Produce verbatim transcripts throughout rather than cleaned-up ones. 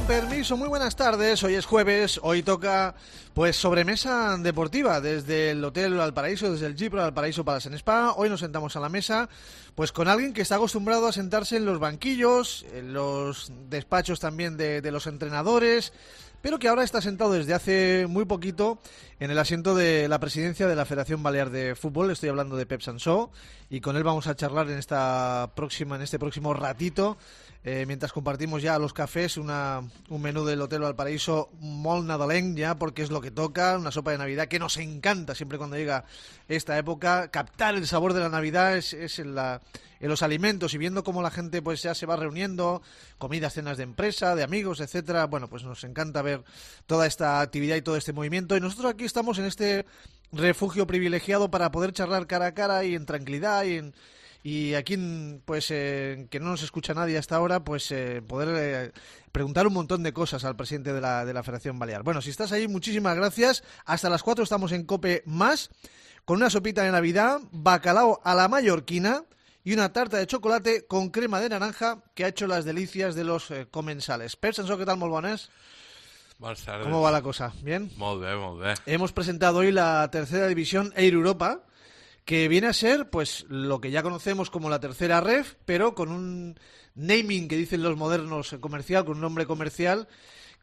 Con permiso, muy buenas tardes. Hoy es jueves, hoy toca pues sobremesa deportiva desde el Hotel Valparaíso, desde el Jeep Valparaíso Palace and Spa. Hoy nos sentamos a la mesa pues con alguien que está acostumbrado a sentarse en los banquillos, en los despachos también de, de los entrenadores, pero que ahora está sentado desde hace muy poquito en el asiento de la presidencia de la Federación Balear de Fútbol. Estoy hablando de Pep Sansó y con él vamos a charlar en esta próxima, en este próximo ratito. Eh, mientras compartimos ya los cafés, una, un menú del Hotel Valparaíso molt nadalenc ya, porque es lo que toca, una sopa de Navidad que nos encanta siempre cuando llega esta época. Captar el sabor de la Navidad es, es en, la, en los alimentos y viendo cómo la gente pues ya se va reuniendo, comidas, cenas de empresa, de amigos, etcétera. Bueno, pues nos encanta ver toda esta actividad y todo este movimiento. Y nosotros aquí estamos en este refugio privilegiado para poder charlar cara a cara y en tranquilidad y en... Y aquí, pues, eh, que no nos escucha nadie hasta ahora, pues eh, poder eh, preguntar un montón de cosas al presidente de la, de la Federación Balear. Bueno, si estás ahí, muchísimas gracias. Hasta las cuatro estamos en COPE Más, con una sopita de Navidad, bacalao a la mallorquina y una tarta de chocolate con crema de naranja que ha hecho las delicias de los eh, comensales. Pep Sansó, ¿qué tal? Molt bones. Buenas tardes. ¿Cómo va la cosa? ¿Bien? Molt bé, molt bé. Hemos presentado hoy la tercera división Air Europa, que viene a ser pues lo que ya conocemos como la tercera ref, pero con un naming que dicen los modernos comercial, con un nombre comercial.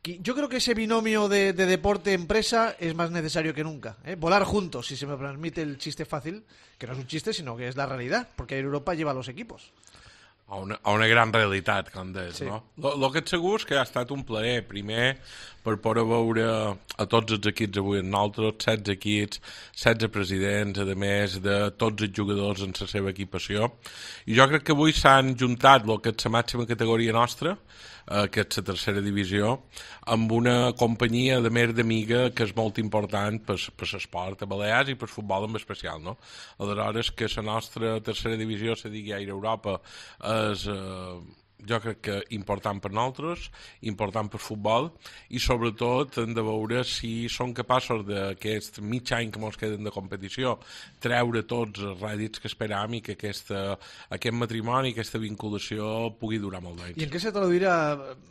Que yo creo que ese binomio de, de deporte-empresa es más necesario que nunca, ¿eh? Volar juntos, si se me permite el chiste fácil, que no es un chiste, sino que es la realidad, porque Europa lleva a los equipos. A una, a una gran realitat, com deies, sí. no? El que et segur és que ha estat un plaer, primer, per poder veure a tots els equips avui amb nosaltres, setze equips, setze presidents, a més de tots els jugadors en la seva equipació. I jo crec que avui s'han juntat el que és la màxima categoria nostra, eh, que és la tercera divisió, amb una companyia de més d'amiga que és molt important per, per l'esport a Balears i per futbol en especial, no? Aleshores, que la nostra tercera divisió se digui Aire Europa és, eh, jo crec que important per nosaltres, important per futbol, i sobretot hem de veure si són capaços d'aquest mig any que ens queden de competició treure tots els rèdits que esperam i que aquesta, aquest matrimoni, aquesta vinculació pugui durar molt d'anys. I en què se traduirà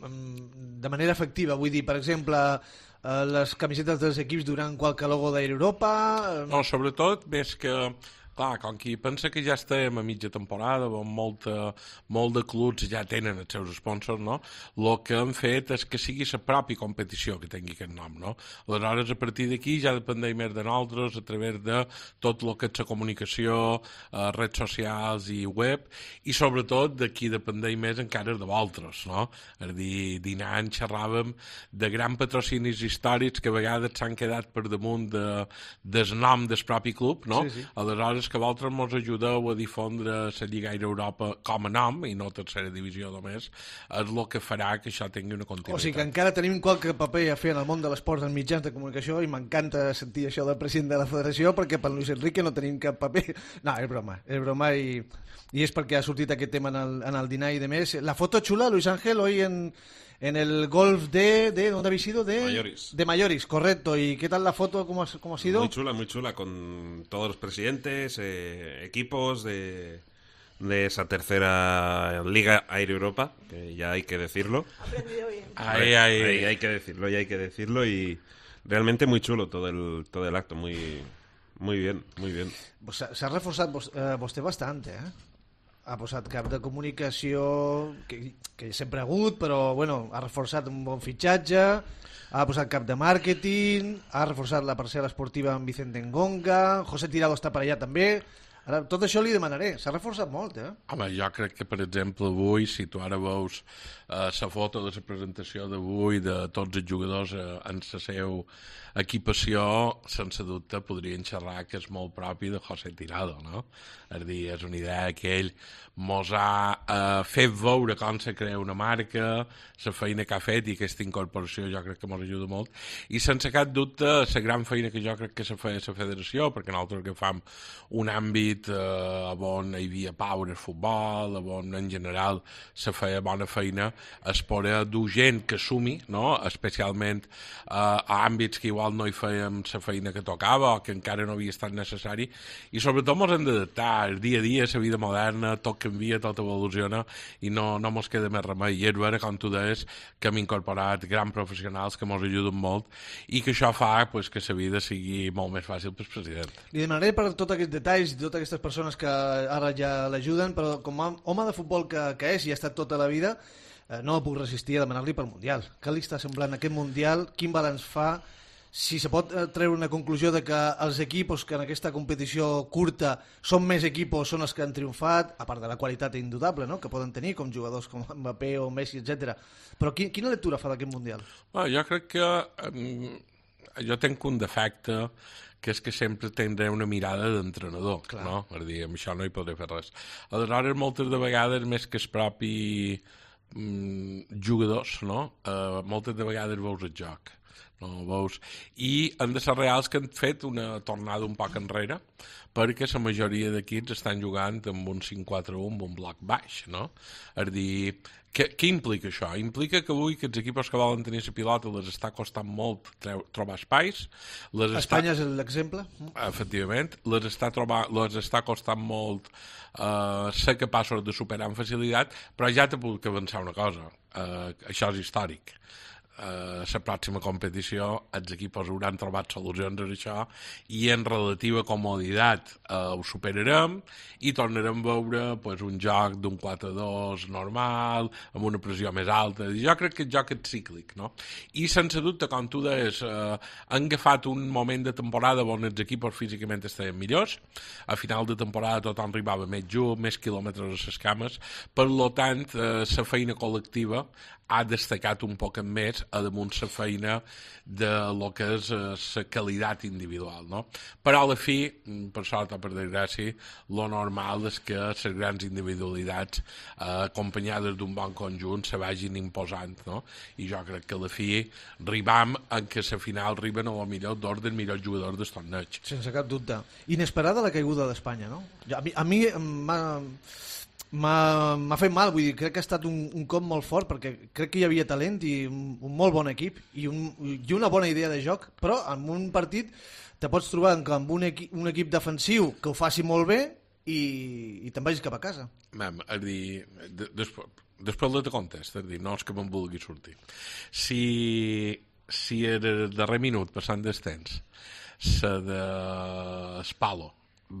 de manera efectiva? Vull dir, per exemple, les camisetes dels equips duran qualque logo d'Air Europa? No, sobretot, més que... Clar, com qui pensa que ja estem a mitja temporada, on molta, molt de clubs ja tenen els seus sponsors, no? El que hem fet és que sigui la pròpia competició que tingui aquest nom, no? Aleshores, a partir d'aquí ja dependeix més de nosaltres a través de tot el que és la comunicació, eh, redes socials i web, i sobretot d'aquí dependeix més encara de vosaltres, no? És a dir, dinant xerràvem de grans patrocinis històrics que a vegades s'han quedat per damunt de, del nom del propi club, no? Sí, sí. Aleshores, que vosaltres ens ajudeu a difondre la Lliga Aire Europa com a nom, i no tercera divisió només, és el que farà que això tingui una continuïtat. O sigui que encara tenim qualque paper a fer en el món de l'esport en mitjans de comunicació, i m'encanta sentir això del president de la federació, perquè per Luis Enrique no tenim cap paper. No, és broma, és broma, i, i és perquè ha sortit aquest tema en el, en el dinar i de més. La foto chula, Luis Ángel, hoy en... En el golf de, de... ¿Dónde habéis ido? De Mayoris. De Mayoris, correcto. ¿Y qué tal la foto? ¿Cómo ha, cómo ha sido? Muy chula, muy chula, con todos los presidentes, eh, equipos de, de esa tercera Liga Air Europa, que ya hay que decirlo. Aprendido bien. Ahí, ahí. Ahí hay que decirlo, ya hay que decirlo, y realmente muy chulo todo el, todo el acto, muy, muy bien, muy bien. Pues s'ha reforçat vos, eh, vostè bastante, eh? Ha posat cap de comunicació que, que sempre ha hagut, però bueno, ha reforçat un bon fitxatge, ha posat cap de màrqueting, ha reforçat la parcel·la esportiva amb Vicente Ngonga, José Tirado està per allà també. Ara, tot això li demanaré, s'ha reforçat molt, eh? Home, jo crec que, per exemple, avui, si tu ara veus la uh, foto de la presentació d'avui de tots els jugadors uh, en la seva equipació, sense dubte podrien xerrar que és molt propi de José Tirado, no? És a dir, és una idea que ell mos ha uh, fet veure com se crea una marca, la feina que ha fet, i aquesta incorporació jo crec que mos ajuda molt, i sense cap dubte la gran feina que jo crec que se fa a la federació, perquè nosaltres que fam un àmbit àmbit eh, on hi havia pau en el futbol, on en general se feia bona feina, es poder dur gent que sumi, no? Especialment eh, a àmbits que igual no hi fèiem la feina que tocava o que encara no havia estat necessari, i sobretot ens hem d'adaptar. El dia a dia, la vida moderna, tot canvia, tot evoluciona, i no, no ens queda més remei. I és vera, com tu deies, que hem incorporat grans professionals que ens ajuden molt i que això fa pues, que la vida sigui molt més fàcil pel president. Li demanaré per tots aquests detalls i totes aquestes persones que ara ja l'ajuden, però com a home de futbol que, que és i ha estat tota la vida, eh, no puc resistir a demanar-li pel Mundial. Què li està semblant aquest Mundial? Quin balanç fa? Si se pot treure una conclusió de que els equipos que en aquesta competició curta són més equipos, són els que han triomfat, a part de la qualitat indudable, no?, que poden tenir, com jugadors com Mbappé o Messi, etcètera. Però qui, quina lectura fa d'aquest Mundial? Bueno, jo crec que um, jo tenc un defecte, que és que sempre tindré una mirada d'entrenador, no? Per dir, amb això no hi podré fer res. Aleshores, moltes de vegades, més que els propis mm, jugadors, no? Uh, moltes de vegades veus el joc. No, veus? I han de ser reals que han fet una tornada un poc enrere, perquè la majoria d'equips estan jugant amb un cinc quatre u, amb un bloc baix, no? És dir, què, què implica això? Implica que avui que els equips que volen tenir la pilota les està costant molt trobar espais. Les Espanya està... és l'exemple? Efectivament, les està, trobar, les està costant molt uh, ser capaços de superar amb facilitat, però ja te puc avançar una cosa, uh, això és històric. Uh, la pròxima competició els equips hauran trobat solucions a això i en relativa comoditat uh, ho superarem i tornarem a veure pues, un joc d'un quatre dos normal, amb una pressió més alta. Jo crec que el joc és cíclic, no? I sense dubte, com tu deies, uh, han agafat un moment de temporada on els equips físicament estaven millors, a final de temporada tothom arribava més junt, més quilòmetres a les cames, per tant, la uh, feina col·lectiva ha destacat un poc més a damunt la feina de lo que és la qualitat individual, no? Però a la fi, per sort o per desgràcia, lo normal és que les grans individualitats eh, acompanyades d'un bon conjunt se vagin imposant, no? I jo crec que a la fi arribam en que a la final arriben a lo millor dos dels millors jugadors del torneig. Sense cap dubte. Inesperada la caiguda d'Espanya, no? A mi, a mi m'ha... M'ha fet mal, vull dir, crec que ha estat un, un cop molt fort, perquè crec que hi havia talent i un, un molt bon equip i, un, i una bona idea de joc, però en un partit te pots trobar amb un, equi, un equip defensiu que ho faci molt bé i, i te'n vagis cap a casa. Mem, és dir, de, després, després de te contest, és dir, no és que me'n vulgui sortir. Si, si el darrer minut, passant del temps, la de Spalo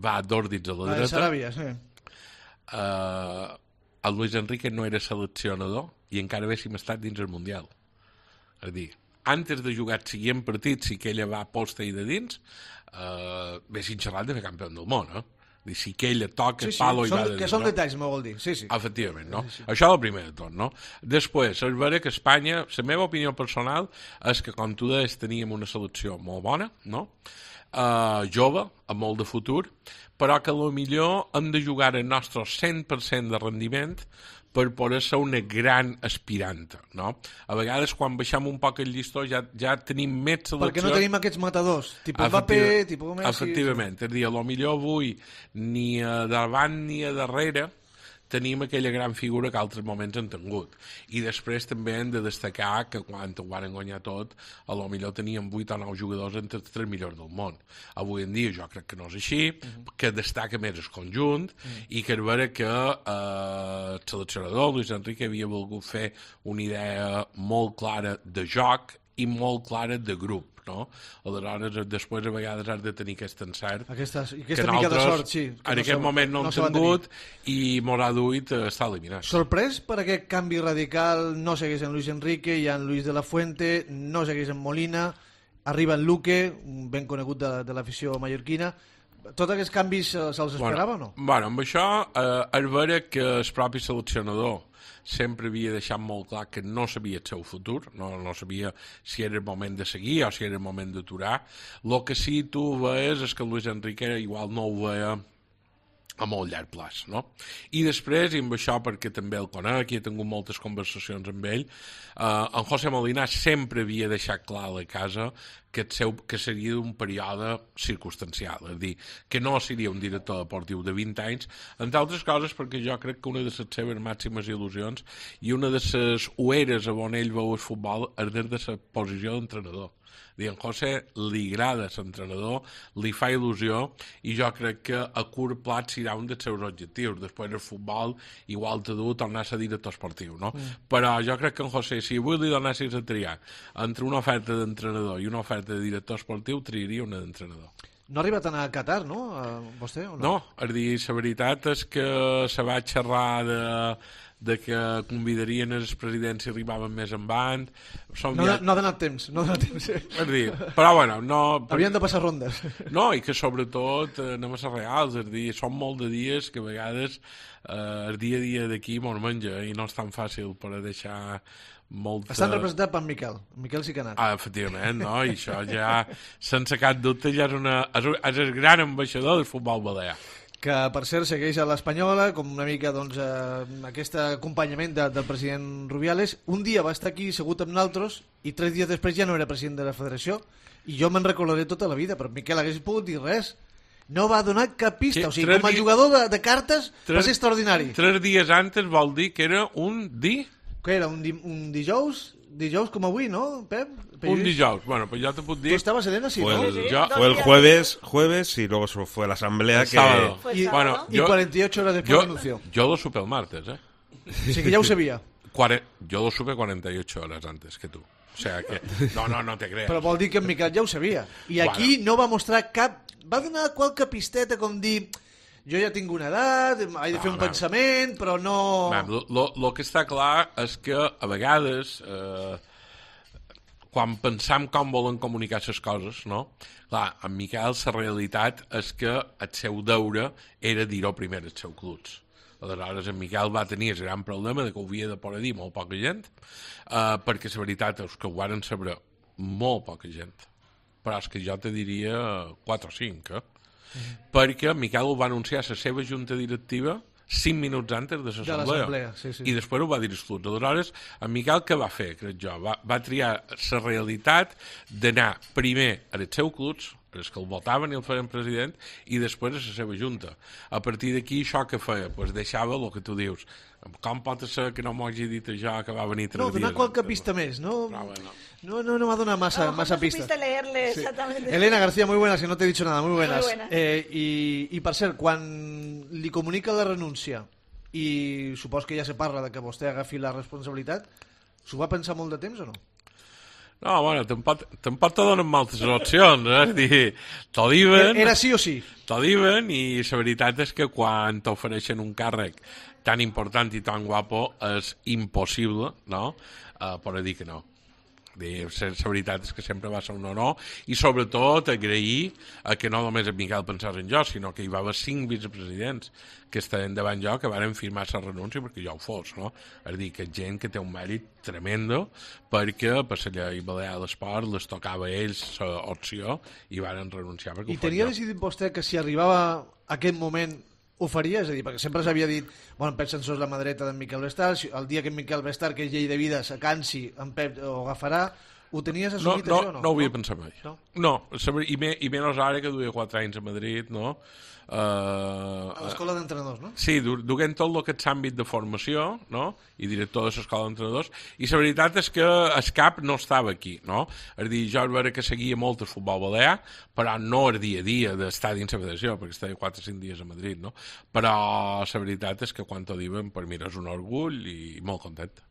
va dos dits a la, la dreta... La de Saràbia, sí. Uh, el Luis Enrique no era seleccionador i encara haguéssim estat dins el Mundial. És a dir, antes de jugar el següent partit, si que ella va posta i de dins, uh, haguéssim xerrat de fer campió del món, eh? Dir, si que ella toca sí, el sí, palo i són, va de dins. que són no? detalls, m'ho vol dir. Sí, sí. Efectivament, no? Sí, sí. Això és el primer de tot, no? Després, és vera que Espanya, la meva opinió personal és que, com tu deies, teníem una selecció molt bona, no? Uh, jove, amb molt de futur, però que millor hem de jugar el nostre cent per cent de rendiment per poder ser una gran aspiranta, no? A vegades, quan baixem un poc el llistó, ja, ja tenim més selecció... Perquè no tenim aquests matadors, tipus Mbappé, tipus Messi... Efectivament, és a dir, a millor avui ni a davant ni a darrere tenim aquella gran figura que altres moments han tingut. I després també hem de destacar que quan ho van guanyar tot, a lo millor teníem vuit o nou jugadors entre els tres millors del món. Avui en dia jo crec que no és així, uh-huh. que destaca més el conjunt, uh-huh. i que és vera que eh, el seleccionador Luis Enrique havia volgut fer una idea molt clara de joc i molt clara de grup, no? Aleshores, després a vegades has de tenir aquest encert aquesta, aquesta mica de sort, sí, en no aquest moment no, no hem tingut i m'haurà duit estar eliminat. Sorprès per aquest canvi radical, no segueix en Luis Enrique, hi ha en Luis de la Fuente, no segueix en Molina, arriba en Luque, ben conegut de, de l'afició mallorquina. Tots aquests canvis se'ls esperava bueno, o no? Bueno, amb això eh, és vera que el propi seleccionador sempre havia deixat molt clar que no sabia el seu futur, no, no sabia si era el moment de seguir o si era el moment d'aturar. El que sí tu veies és que Luis Enrique igual no ho veia a molt llarg plaç, no? I després, i amb això perquè també el conec i he tingut moltes conversacions amb ell, eh, en José Molina sempre havia deixat clar a la casa que, el seu, que seria un període circumstancial, és a dir, que no seria un director deportiu de vint anys, entre altres coses perquè jo crec que una de les seves màximes il·lusions i una de les ueres on ell veu el futbol és des de la posició d'entrenador. I en José li agrada l'entrenador, li fa il·lusió i jo crec que a curt plat serà un dels seus objectius. Després el futbol igual t'ha dut tornar a ser director esportiu, no? Mm. Però jo crec que en José, si avui li donessis a triar entre una oferta d'entrenador i una oferta de director esportiu, triaria una d'entrenador. No ha arribat a anar a Qatar, no? A vostè, o no? No, és dir, la veritat és que se va xerrar de... de que convidarien els presidents si arribaven més en band. Som no, ja... no ha donat temps, no ha donat temps. És dir, però bueno, no... Havien de passar rondes. No, i que sobretot eh, anem a ser reals, és dir, són molt de dies que a vegades eh, el dia a dia d'aquí mos menja i no és tan fàcil per a deixar molta... Estan representats per Miquel, Miquel sí que ha anat. Ah, efectivament, no? I això ja, sense cap dubte, ja és, una, és, és el gran ambaixador del futbol balear. Que per cert segueix a l'Espanyola com una mica doncs, eh, aquest acompanyament de, del president Rubiales. Un dia va estar aquí segut amb nosaltres i tres dies després ja no era president de la federació i jo me'n recordaré tota la vida, però Miquel hagués pogut dir res, no va donar cap pista, o sigui, com a jugador de, de cartes tres, va ser extraordinari. Tres dies antes vol dir que era un di... Què era, un, di, un dijous? Dijous com avui, ¿no, Pep? Un dijous, bueno, pues ya te puedo decir. Tú estabas, Elena, sí, fue ¿no? El, sí, yo, fue el jueves, jueves y luego fue la asamblea el que... Sábado. Y, bueno, y yo, cuarenta y ocho horas después yo, anunció. Yo lo supe el martes, ¿eh? Sí, que ya lo sabía. Cuare... Yo lo supe cuarenta y ocho horas antes que tú. O sea que... No, no, no te creas. Però vol dir que en Miquel ja ho sabia. I aquí bueno. no va mostrar cap... Va donar qualque pisteta com dir... Jo ja tinc una edat, he de fer no, un man. pensament, però no... El que està clar és que a vegades... Eh, quan pensam com volen comunicar les coses, no? Clar, en Miquel la realitat és que el seu deure era dir-ho primer als seus clubs. Aleshores, en Miquel va tenir el gran problema de que ho havia de poder dir molt poca gent, eh, perquè la veritat és que ho varen saber molt poca gent. Però és que jo te diria quatre o cinc, eh? Mm. Perquè Miquel ho va anunciar a la seva junta directiva cinc minuts antes de l'assemblea. Sí, sí. I després ho va dir als clubs. Aleshores, en Miquel què va fer, crec jo? Va, va triar la realitat d'anar primer als seus clubs, els que el votaven i el feien president, i després a la seva junta. A partir d'aquí, això que feia? Pues deixava el que tu dius. Com pot ser que no m'ho hagi dit això que va venir tres no, dies? No, donar qualque pista més, no? No, bueno. No, no, no va donar massa, no, massa no pista. No leerle exactamente. Sí. Elena García, muy buenas, que no te he dicho nada, muy buenas. Muy buenas. Eh, i, I per cert, quan li comunica la renúncia i supos que ja se parla de que vostè agafi la responsabilitat, s'ho va pensar molt de temps o no? No, bueno, tampoc, tampoc te donen moltes opcions, eh? És dir, t'ho diuen... Era sí o sí? T'ho diuen i la veritat és que quan t'ofereixen un càrrec tan important i tan guapo és impossible, no?, uh, poder dir que no. La veritat és que sempre va ser un honor i sobretot agrair a que no només en Miquel pensés en jo, sinó que hi va haver cinc vicepresidents que estaven davant jo que varen firmar la renúncia perquè jo ho fos, no? És a dir, que gent que té un mèrit tremendo perquè per la llei balear de l'esport les tocava a ells l'opció i varen renunciar perquè I tenia jo. decidit vostè que si arribava a aquest moment ho faria? És a dir, perquè sempre s'havia dit bueno, en Pep Sensors la mà dreta d'en Miquel Vestar, el dia que en Miquel Vestar, que és llei de vida, s'acansi, en Pep ho agafarà. Ho tenies assumit, no, no, això o no? No ho havia pensat mai. No? No, i, me, i menys ara que duia quatre anys a Madrid, no? Uh, a l'escola d'entrenadors, no? Sí, du duent tot el que és àmbit de formació, no? I director de l'escola d'entrenadors, i la veritat és que el cap no estava aquí, no? És a dir, jo veure que seguia molt el futbol balear, però no el dia a dia d'estar dins la federació, perquè estava quatre o cinc dies a Madrid, no? Però la veritat és que quan t'ho diuen, per mi és un orgull i molt content.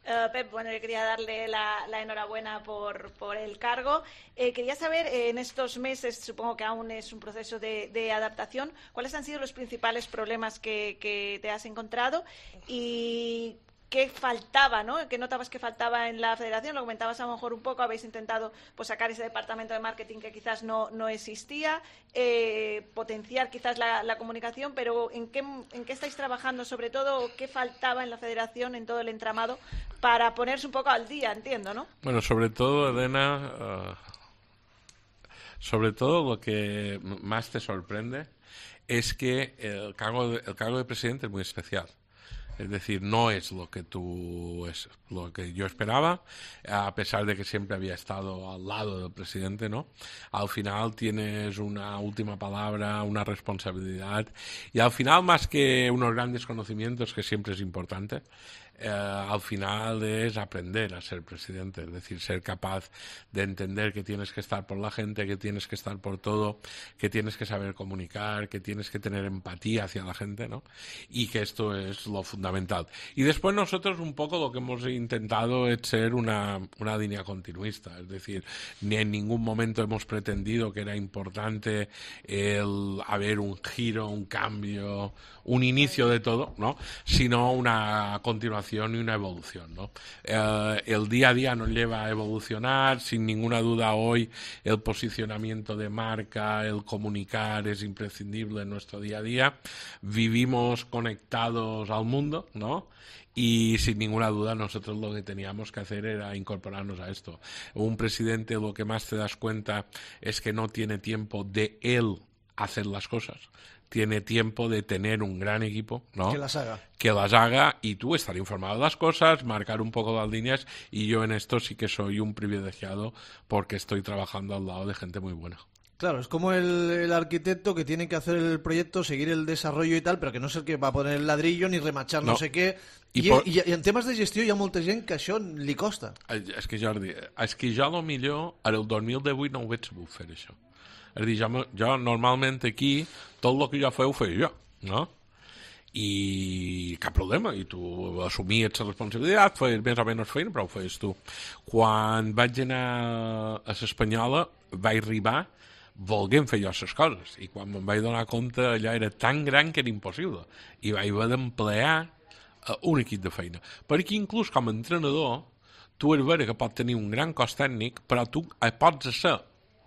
Uh, Pep, bueno, yo quería darle la, la enhorabuena por, por el cargo. Eh, quería saber, eh, en estos meses, supongo que aún es un proceso de, de adaptación, ¿cuáles han sido los principales problemas que, que te has encontrado y qué faltaba, ¿no? ¿Qué notabas que faltaba en la federación? Lo comentabas a lo mejor un poco, habéis intentado pues, sacar ese departamento de marketing que quizás no, no existía, eh, potenciar quizás la, la comunicación, pero ¿en qué, ¿en qué estáis trabajando? Sobre todo, ¿qué faltaba en la federación, en todo el entramado, para ponerse un poco al día, entiendo, ¿no? Bueno, sobre todo, Elena, uh, sobre todo lo que más te sorprende es que el cargo de, el cargo de presidente es muy especial. Es decir, no es lo que tú es lo que yo esperaba, a pesar de que siempre había estado al lado del presidente, ¿no? Al final tienes una última palabra, una responsabilidad, y al final, más que unos grandes conocimientos, que siempre es importante, eh, al final es aprender a ser presidente, es decir, ser capaz de entender que tienes que estar por la gente, que tienes que estar por todo, que tienes que saber comunicar, que tienes que tener empatía hacia la gente, ¿no? Y que esto es lo fundamental. Y después nosotros un poco lo que hemos intentado es ser una, una línea continuista, es decir, ni en ningún momento hemos pretendido que era importante el haber un giro, un cambio, un inicio de todo, ¿no? Sino una continuación y una evolución, ¿no? Eh, el día a día nos lleva a evolucionar, sin ninguna duda hoy el posicionamiento de marca, el comunicar es imprescindible en nuestro día a día, vivimos conectados al mundo, ¿no? Y sin ninguna duda nosotros lo que teníamos que hacer era incorporarnos a esto. Un presidente, lo que más te das cuenta es que no tiene tiempo de él hacer las cosas. Tiene tiempo de tener un gran equipo, ¿no? Que las haga. Que las haga y tú estar informado de las cosas, marcar un poco las líneas, y yo en esto sí que soy un privilegiado porque estoy trabajando al lado de gente muy buena. Claro, es como el, el arquitecto que tiene que hacer el proyecto, seguir el desarrollo y tal, pero que no es el que va a poner el ladrillo ni remachar no, no sé què. I, I, por... I, I en temes de gestió hi ha molta gent que això li costa. És que, Jordi, és que jo a lo millor el dos mil divuit no ho veig sabut fer això. És a dir, jo, jo normalment aquí tot el que jo feu ho feia jo, no? I cap problema, i tu assumies la responsabilitat, feies més o menys feina, però ho feies tu. Quan vaig anar a l'Espanyola vaig arribar volguem fer jo les coses, i quan me'n vaig donar compte allò era tan gran que era impossible, i vaig haver d'emplear uh, un equip de feina, perquè inclús com a entrenador tu és vera que pot tenir un gran cos tècnic, però tu pots ser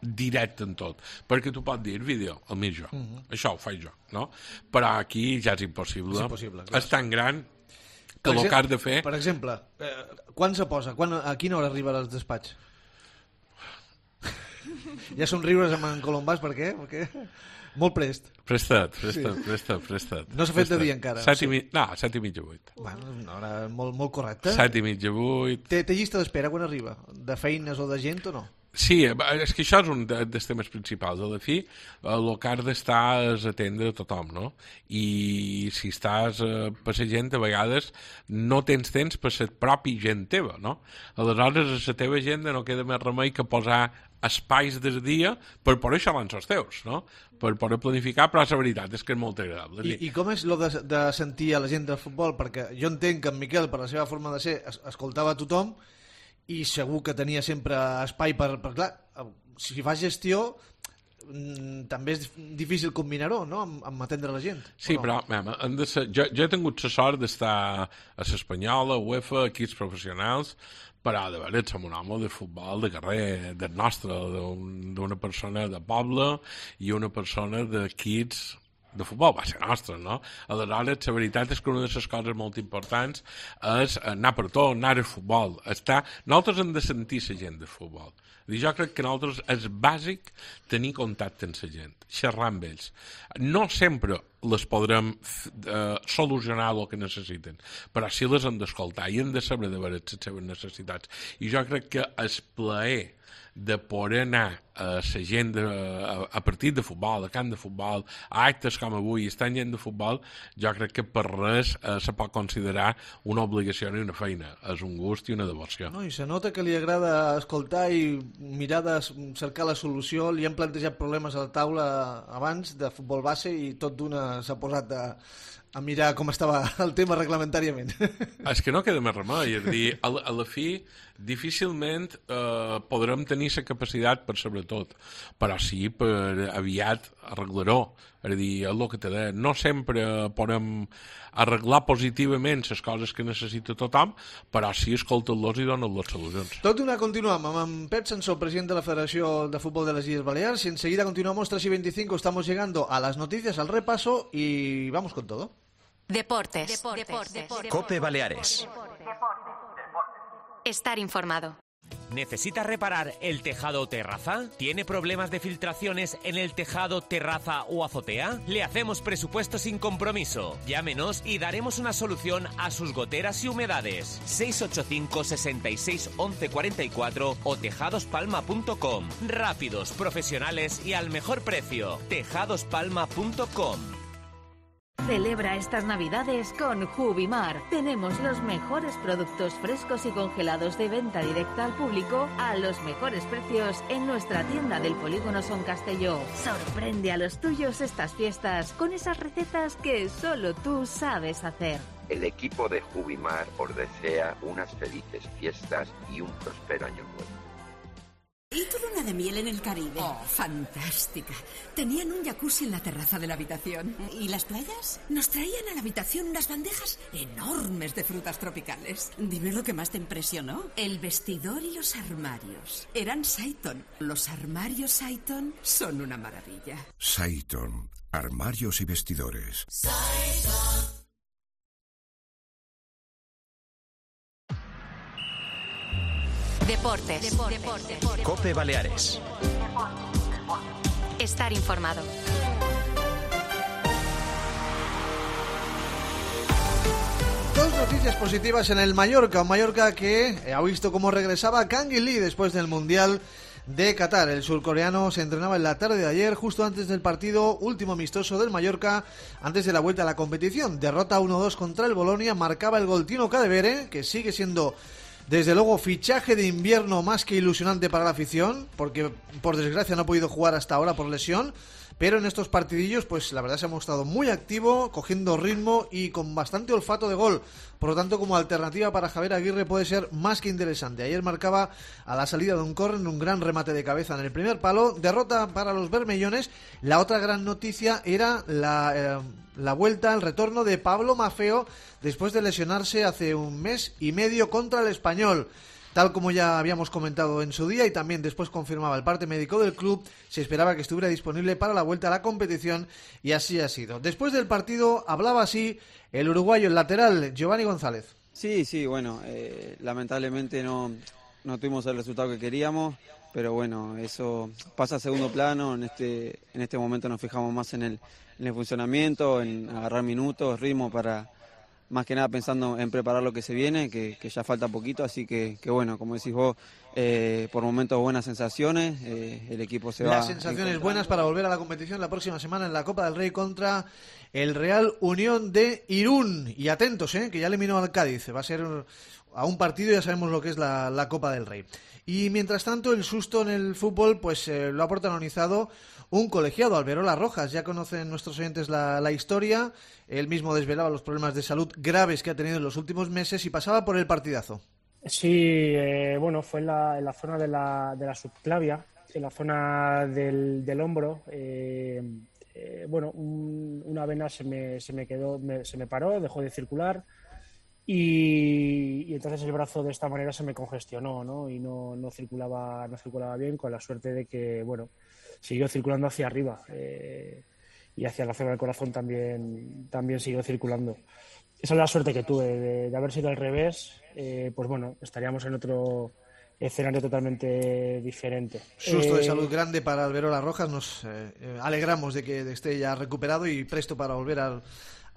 directe en tot, perquè tu pots dir vídeo, el mig jo, mm-hmm. això ho faig jo, no? Però aquí ja és impossible, és, impossible, clar. És tan gran que el que has de fer... Per exemple, eh, quan se posa? Quan, a quina hora arriba al despatx? Ja són riures amb en Colombàs, per què? Perquè... Molt prest. Prestat, prestat, sí. prestat, prestat. No s'ha fet de dia encara. Set i mi... No, set i mitja, vuit. Bueno, una hora molt, molt correcta. Set i mitja, vuit. Té, té llista d'espera quan arriba? De feines o de gent o no? Sí, és que això és un dels temes principals. A la fi, el que has d'estar és atendre a tothom, no? I si estàs eh, per la gent, a vegades no tens temps per la pròpia gent teva, no? Aleshores, a la teva gent no queda més remei que posar espais del dia per poder xalar els teus, no? Per poder planificar, però la veritat és que és molt agradable. I, i com és lo de, de sentir a la gent del futbol? Perquè jo entenc que en Miquel, per la seva forma de ser, es, escoltava a tothom, i segur que tenia sempre espai per... per clar, si fas gestió també és difícil combinar-ho, no?, amb, amb atendre la gent. Sí, no? però mem, hem de ser, jo, jo he tingut la sort d'estar a l'Espanyola, a UEFA, equips professionals, però de veure, som un home de futbol de carrer, del nostre, d'una persona de poble i una persona d'equips de futbol, va ser nostre, no? Aleshores, la veritat és que una de les coses molt importants és anar per tot, anar al futbol. Estar... Nosaltres hem de sentir la gent de futbol. Jo crec que nosaltres és bàsic tenir contacte amb la gent, xerrar amb ells. No sempre les podrem eh, solucionar el que necessiten, però sí les hem d'escoltar i hem de saber de veure les seves necessitats. I jo crec que el plaer de poder anar a la gent de, a, a partit de futbol, a camp de futbol, a actes com avui, estan gent de futbol, jo crec que per res eh, se pot considerar una obligació i una feina. És un gust i una devoció. No, i se nota que li agrada escoltar i mirar de cercar la solució. Li han plantejat problemes a la taula abans de futbol base i tot d'una s'ha posat a, a mirar com estava el tema reglamentàriament. És que no queda més remei. És a dir, a la, a la fi, difícilment eh, podrem tenir la capacitat per sobretot, però sí per aviat arreglar-ho. És a dir, és el que te deia, no sempre podem arreglar positivament les coses que necessita tothom, però sí escolta-los i donen les solucions. Tot d'una continuam amb en Pep Sansó, president de la Federació de Fútbol de las Illes Baleares, y enseguida continuamos tres y veinticinco, estamos llegando a las noticias, al repaso y vamos con todo. Deportes. Deportes. Deportes. COPE Baleares. Estar informado. ¿Necesita reparar el tejado o terraza? ¿Tiene problemas de filtraciones en el tejado, terraza o azotea? Le hacemos presupuesto sin compromiso. Llámenos y daremos una solución a sus goteras y humedades. seis ocho cinco, sesenta y seis, once cuarenta y cuatro o tejadospalma punto com. Rápidos, profesionales y al mejor precio. tejadospalma punto com. Celebra estas Navidades con Jubimar. Tenemos los mejores productos frescos y congelados de venta directa al público a los mejores precios en nuestra tienda del Polígono Son Castelló. Sorprende a los tuyos estas fiestas con esas recetas que solo tú sabes hacer. El equipo de Jubimar os desea unas felices fiestas y un próspero año nuevo. ¿Y tu luna de miel en el Caribe? Oh, fantástica. Tenían un jacuzzi en la terraza de la habitación. ¿Y las playas? Nos traían a la habitación unas bandejas enormes de frutas tropicales. Dime lo que más te impresionó. El vestidor y los armarios. Eran Saiton. Los armarios Saiton son una maravilla. Saiton. Armarios y vestidores. Saiton. Deportes. Deportes. Deportes. COPE Baleares. Estar informado. Dos noticias positivas en el Mallorca. Un Mallorca que ha visto cómo regresaba Kang In Lee después del Mundial de Qatar. El surcoreano se entrenaba en la tarde de ayer, justo antes del partido último amistoso del Mallorca, antes de la vuelta a la competición. Derrota uno dos contra el Bolonia, marcaba el gol Tino Cadevere, que sigue siendo desde luego fichaje de invierno más que ilusionante para la afición, porque por desgracia no ha podido jugar hasta ahora por lesión, pero en estos partidillos pues la verdad se ha mostrado muy activo, cogiendo ritmo y con bastante olfato de gol. Por lo tanto, como alternativa para Javier Aguirre puede ser más que interesante. Ayer marcaba a la salida de un córner un gran remate de cabeza en el primer palo. Derrota para los bermellones. La otra gran noticia era la, eh, la vuelta, el retorno de Pablo Maffeo después de lesionarse hace un mes y medio contra el Español. Tal como ya habíamos comentado en su día y también después confirmaba el parte médico del club, se esperaba que estuviera disponible para la vuelta a la competición y así ha sido. Después del partido hablaba así el uruguayo, el lateral, Giovanni González. Sí, sí, bueno, eh, lamentablemente no, no tuvimos el resultado que queríamos, pero bueno, eso pasa a segundo plano. En este, en este momento nos fijamos más en el, en el funcionamiento, en agarrar minutos, ritmo para... Más que nada pensando en preparar lo que se viene, que, que ya falta poquito, así que, que bueno, como decís vos, eh, por momentos buenas sensaciones, eh, el equipo se va... Las sensaciones buenas para volver a la competición la próxima semana en la Copa del Rey contra el Real Unión de Irún. Y atentos, eh, que ya eliminó al Cádiz, va a ser a un partido, ya sabemos lo que es la, la Copa del Rey. Y mientras tanto, el susto en el fútbol pues eh, lo ha protagonizado un colegiado, Alberola Rojas. Ya conocen nuestros oyentes la, la historia. Él mismo desvelaba los problemas de salud graves que ha tenido en los últimos meses y pasaba por el partidazo. Sí, eh, bueno, fue en la, en la zona de la, de la subclavia, en la zona del, del hombro. Eh, eh, bueno, un, una vena se me, se me quedó, me, se me paró, dejó de circular. Y, y entonces el brazo de esta manera se me congestionó, ¿no? Y no, no circulaba no circulaba bien, con la suerte de que, bueno, siguió circulando hacia arriba eh, y hacia la zona del corazón también, también siguió circulando. Esa es la suerte que tuve, de, de haber sido al revés, eh, pues bueno, estaríamos en otro escenario totalmente diferente. Susto eh, de salud grande para Alberola Rojas, nos eh, alegramos de que esté ya recuperado y presto para volver al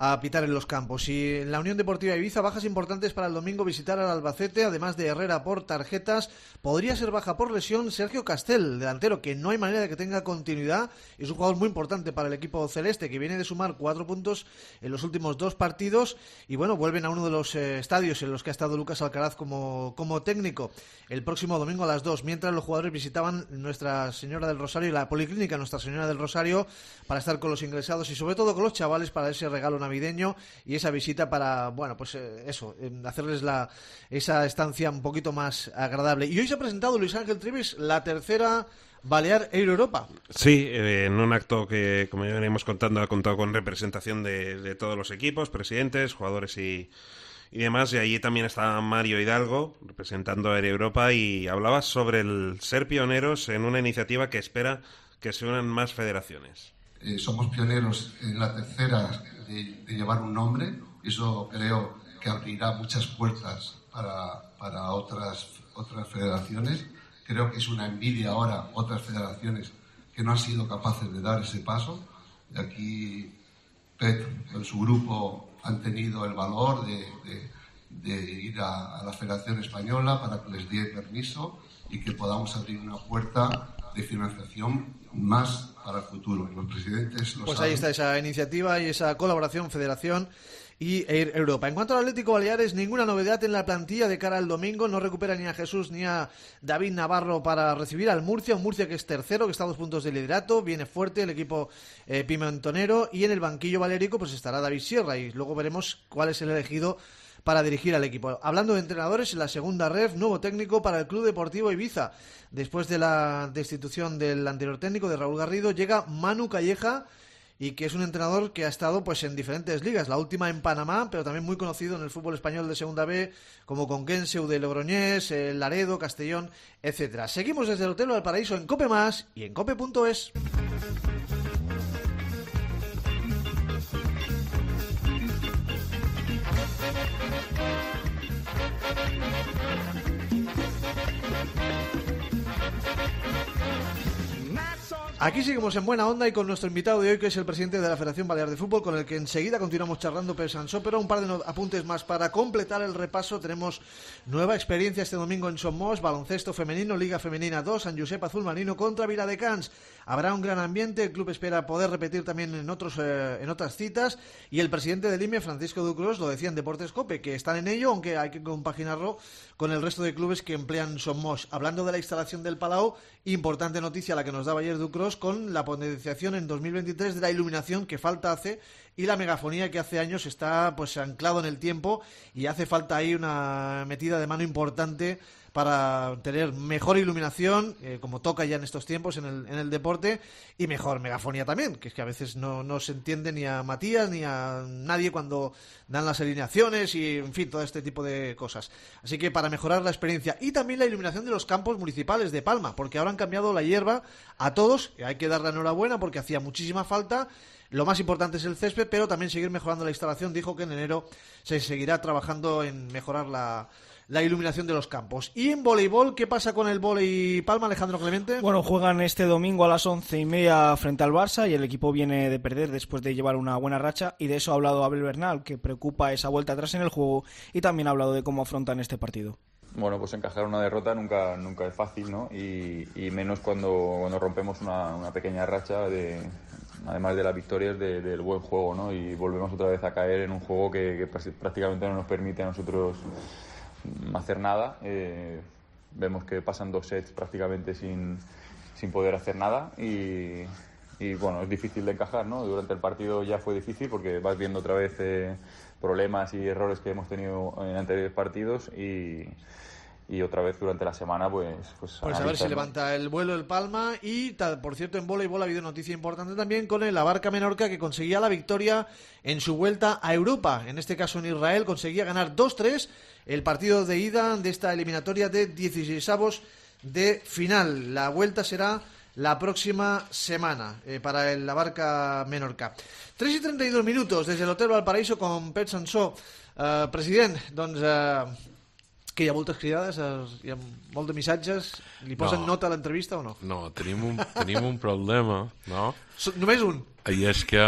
a pitar en los campos. Y en la Unión Deportiva Ibiza, bajas importantes para el domingo, visitar al Albacete, además de Herrera por tarjetas. Podría ser baja por lesión Sergio Castel, delantero que no hay manera de que tenga continuidad. Es un jugador muy importante para el equipo celeste, que viene de sumar cuatro puntos en los últimos dos partidos. Y bueno, vuelven a uno de los eh, estadios en los que ha estado Lucas Alcaraz como, como técnico el próximo domingo a las dos, mientras los jugadores visitaban Nuestra Señora del Rosario y la Policlínica Nuestra Señora del Rosario para estar con los ingresados y sobre todo con los chavales para ese regalo navideño y esa visita para, bueno, pues eh, eso, eh, hacerles la esa estancia un poquito más agradable. Y hoy se ha presentado Luis Ángel Trivis, la tercera Balear Air Europa. Sí, eh, en un acto que, como ya venimos contando, ha contado con representación de, de todos los equipos, presidentes, jugadores y, y demás. Y allí también está Mario Hidalgo, representando a Air Europa, y hablaba sobre el ser pioneros en una iniciativa que espera que se unan más federaciones. Eh, somos pioneros en la tercera de, de llevar un nombre, y eso creo que abrirá muchas puertas para, para otras otras federaciones. Creo que es una envidia ahora otras federaciones que no han sido capaces de dar ese paso. Y aquí Pep en su grupo han tenido el valor de, de, de ir a, a la Federación Española para que les dé permiso y que podamos abrir una puerta de financiación más para el futuro. Los presidentes lo Pues saben. ahí está esa iniciativa y esa colaboración Federación y Air Europa. En cuanto al Atlético Baleares, ninguna novedad en la plantilla de cara al domingo. No recupera ni a Jesús ni a David Navarro para recibir al Murcia. Un Murcia que es tercero, que está a dos puntos de liderato. Viene fuerte el equipo eh, pimentonero. Y en el banquillo valerico pues estará David Sierra. Y luego veremos cuál es el elegido para dirigir al equipo. Hablando de entrenadores, en la segunda ref, nuevo técnico para el Club Deportivo Ibiza. Después de la destitución del anterior técnico, de Raúl Garrido, llega Manu Calleja, y que es un entrenador que ha estado pues en diferentes ligas, la última en Panamá, pero también muy conocido en el fútbol español de Segunda B, como Conquense, U D Logroñés, Laredo, Castellón, etcétera. Seguimos desde el Hotel Valparaíso en Cope Más y en cope punto es. Aquí seguimos en buena onda y con nuestro invitado de hoy, que es el presidente de la Federación Balear de Fútbol, con el que enseguida continuamos charlando, Pep Sansó, pero un par de no- apuntes más para completar el repaso. Tenemos nueva experiencia este domingo en Somos, baloncesto femenino, Liga Femenina dos, San Josep Azul Marino contra Viladecans. Habrá un gran ambiente, el club espera poder repetir también en otros eh, en otras citas, y el presidente del I M E, Francisco Ducros, lo decía en Deportes Cope, que están en ello, aunque hay que compaginarlo con el resto de clubes que emplean Somos. Hablando de la instalación del Palau, importante noticia la que nos daba ayer Ducros, con la potenciación en dos mil veintitrés de la iluminación que falta hace, y la megafonía que hace años está pues anclado en el tiempo, y hace falta ahí una metida de mano importante para tener mejor iluminación, eh, como toca ya en estos tiempos en el, en el deporte, y mejor megafonía también, que es que a veces no, no se entiende ni a Matías ni a nadie cuando dan las alineaciones y, en fin, todo este tipo de cosas. Así que para mejorar la experiencia, y también la iluminación de los campos municipales de Palma, porque ahora han cambiado la hierba a todos, y hay que dar la enhorabuena porque hacía muchísima falta. Lo más importante es el césped, pero también seguir mejorando la instalación. Dijo que en enero se seguirá trabajando en mejorar la la iluminación de los campos. Y en voleibol, ¿qué pasa con el vóley Palma, Alejandro Clemente? Bueno, juegan este domingo a las once y media frente al Barça, y el equipo viene de perder después de llevar una buena racha, y de eso ha hablado Abel Bernal, que preocupa esa vuelta atrás en el juego, y también ha hablado de cómo afrontan este partido. Bueno, pues encajar una derrota nunca nunca es fácil, ¿no? Y, y menos cuando, cuando rompemos una, una pequeña racha, de, además de las victorias, de, del buen juego, ¿no? Y volvemos otra vez a caer en un juego que, que prácticamente no nos permite a nosotros hacer nada. Eh, vemos que pasan dos sets prácticamente sin, sin poder hacer nada, y, y bueno, es difícil de encajar, ¿no? Durante el partido ya fue difícil porque vas viendo otra vez eh, problemas y errores que hemos tenido en anteriores partidos, y, y otra vez durante la semana pues pues, pues a ver si levanta el vuelo el Palma. Y tal, por cierto, en voleibol ha habido noticia importante también con el Abarca Menorca, que conseguía la victoria en su vuelta a Europa, en este caso en Israel. Conseguía ganar dos tres el partido de ida de esta eliminatoria de dieciseisavos de final. La vuelta será la próxima semana eh, para el Abarca Menorca. tres y trenta y dos minutos des de l'Hotel Valparaíso con Pep Sansó. Uh, president, doncs uh, que hi ha moltes cridades, uh, hi ha molt de missatges. Li posen No. nota a l'entrevista o no? No, tenim un, tenim un problema, no? So, només un. I és que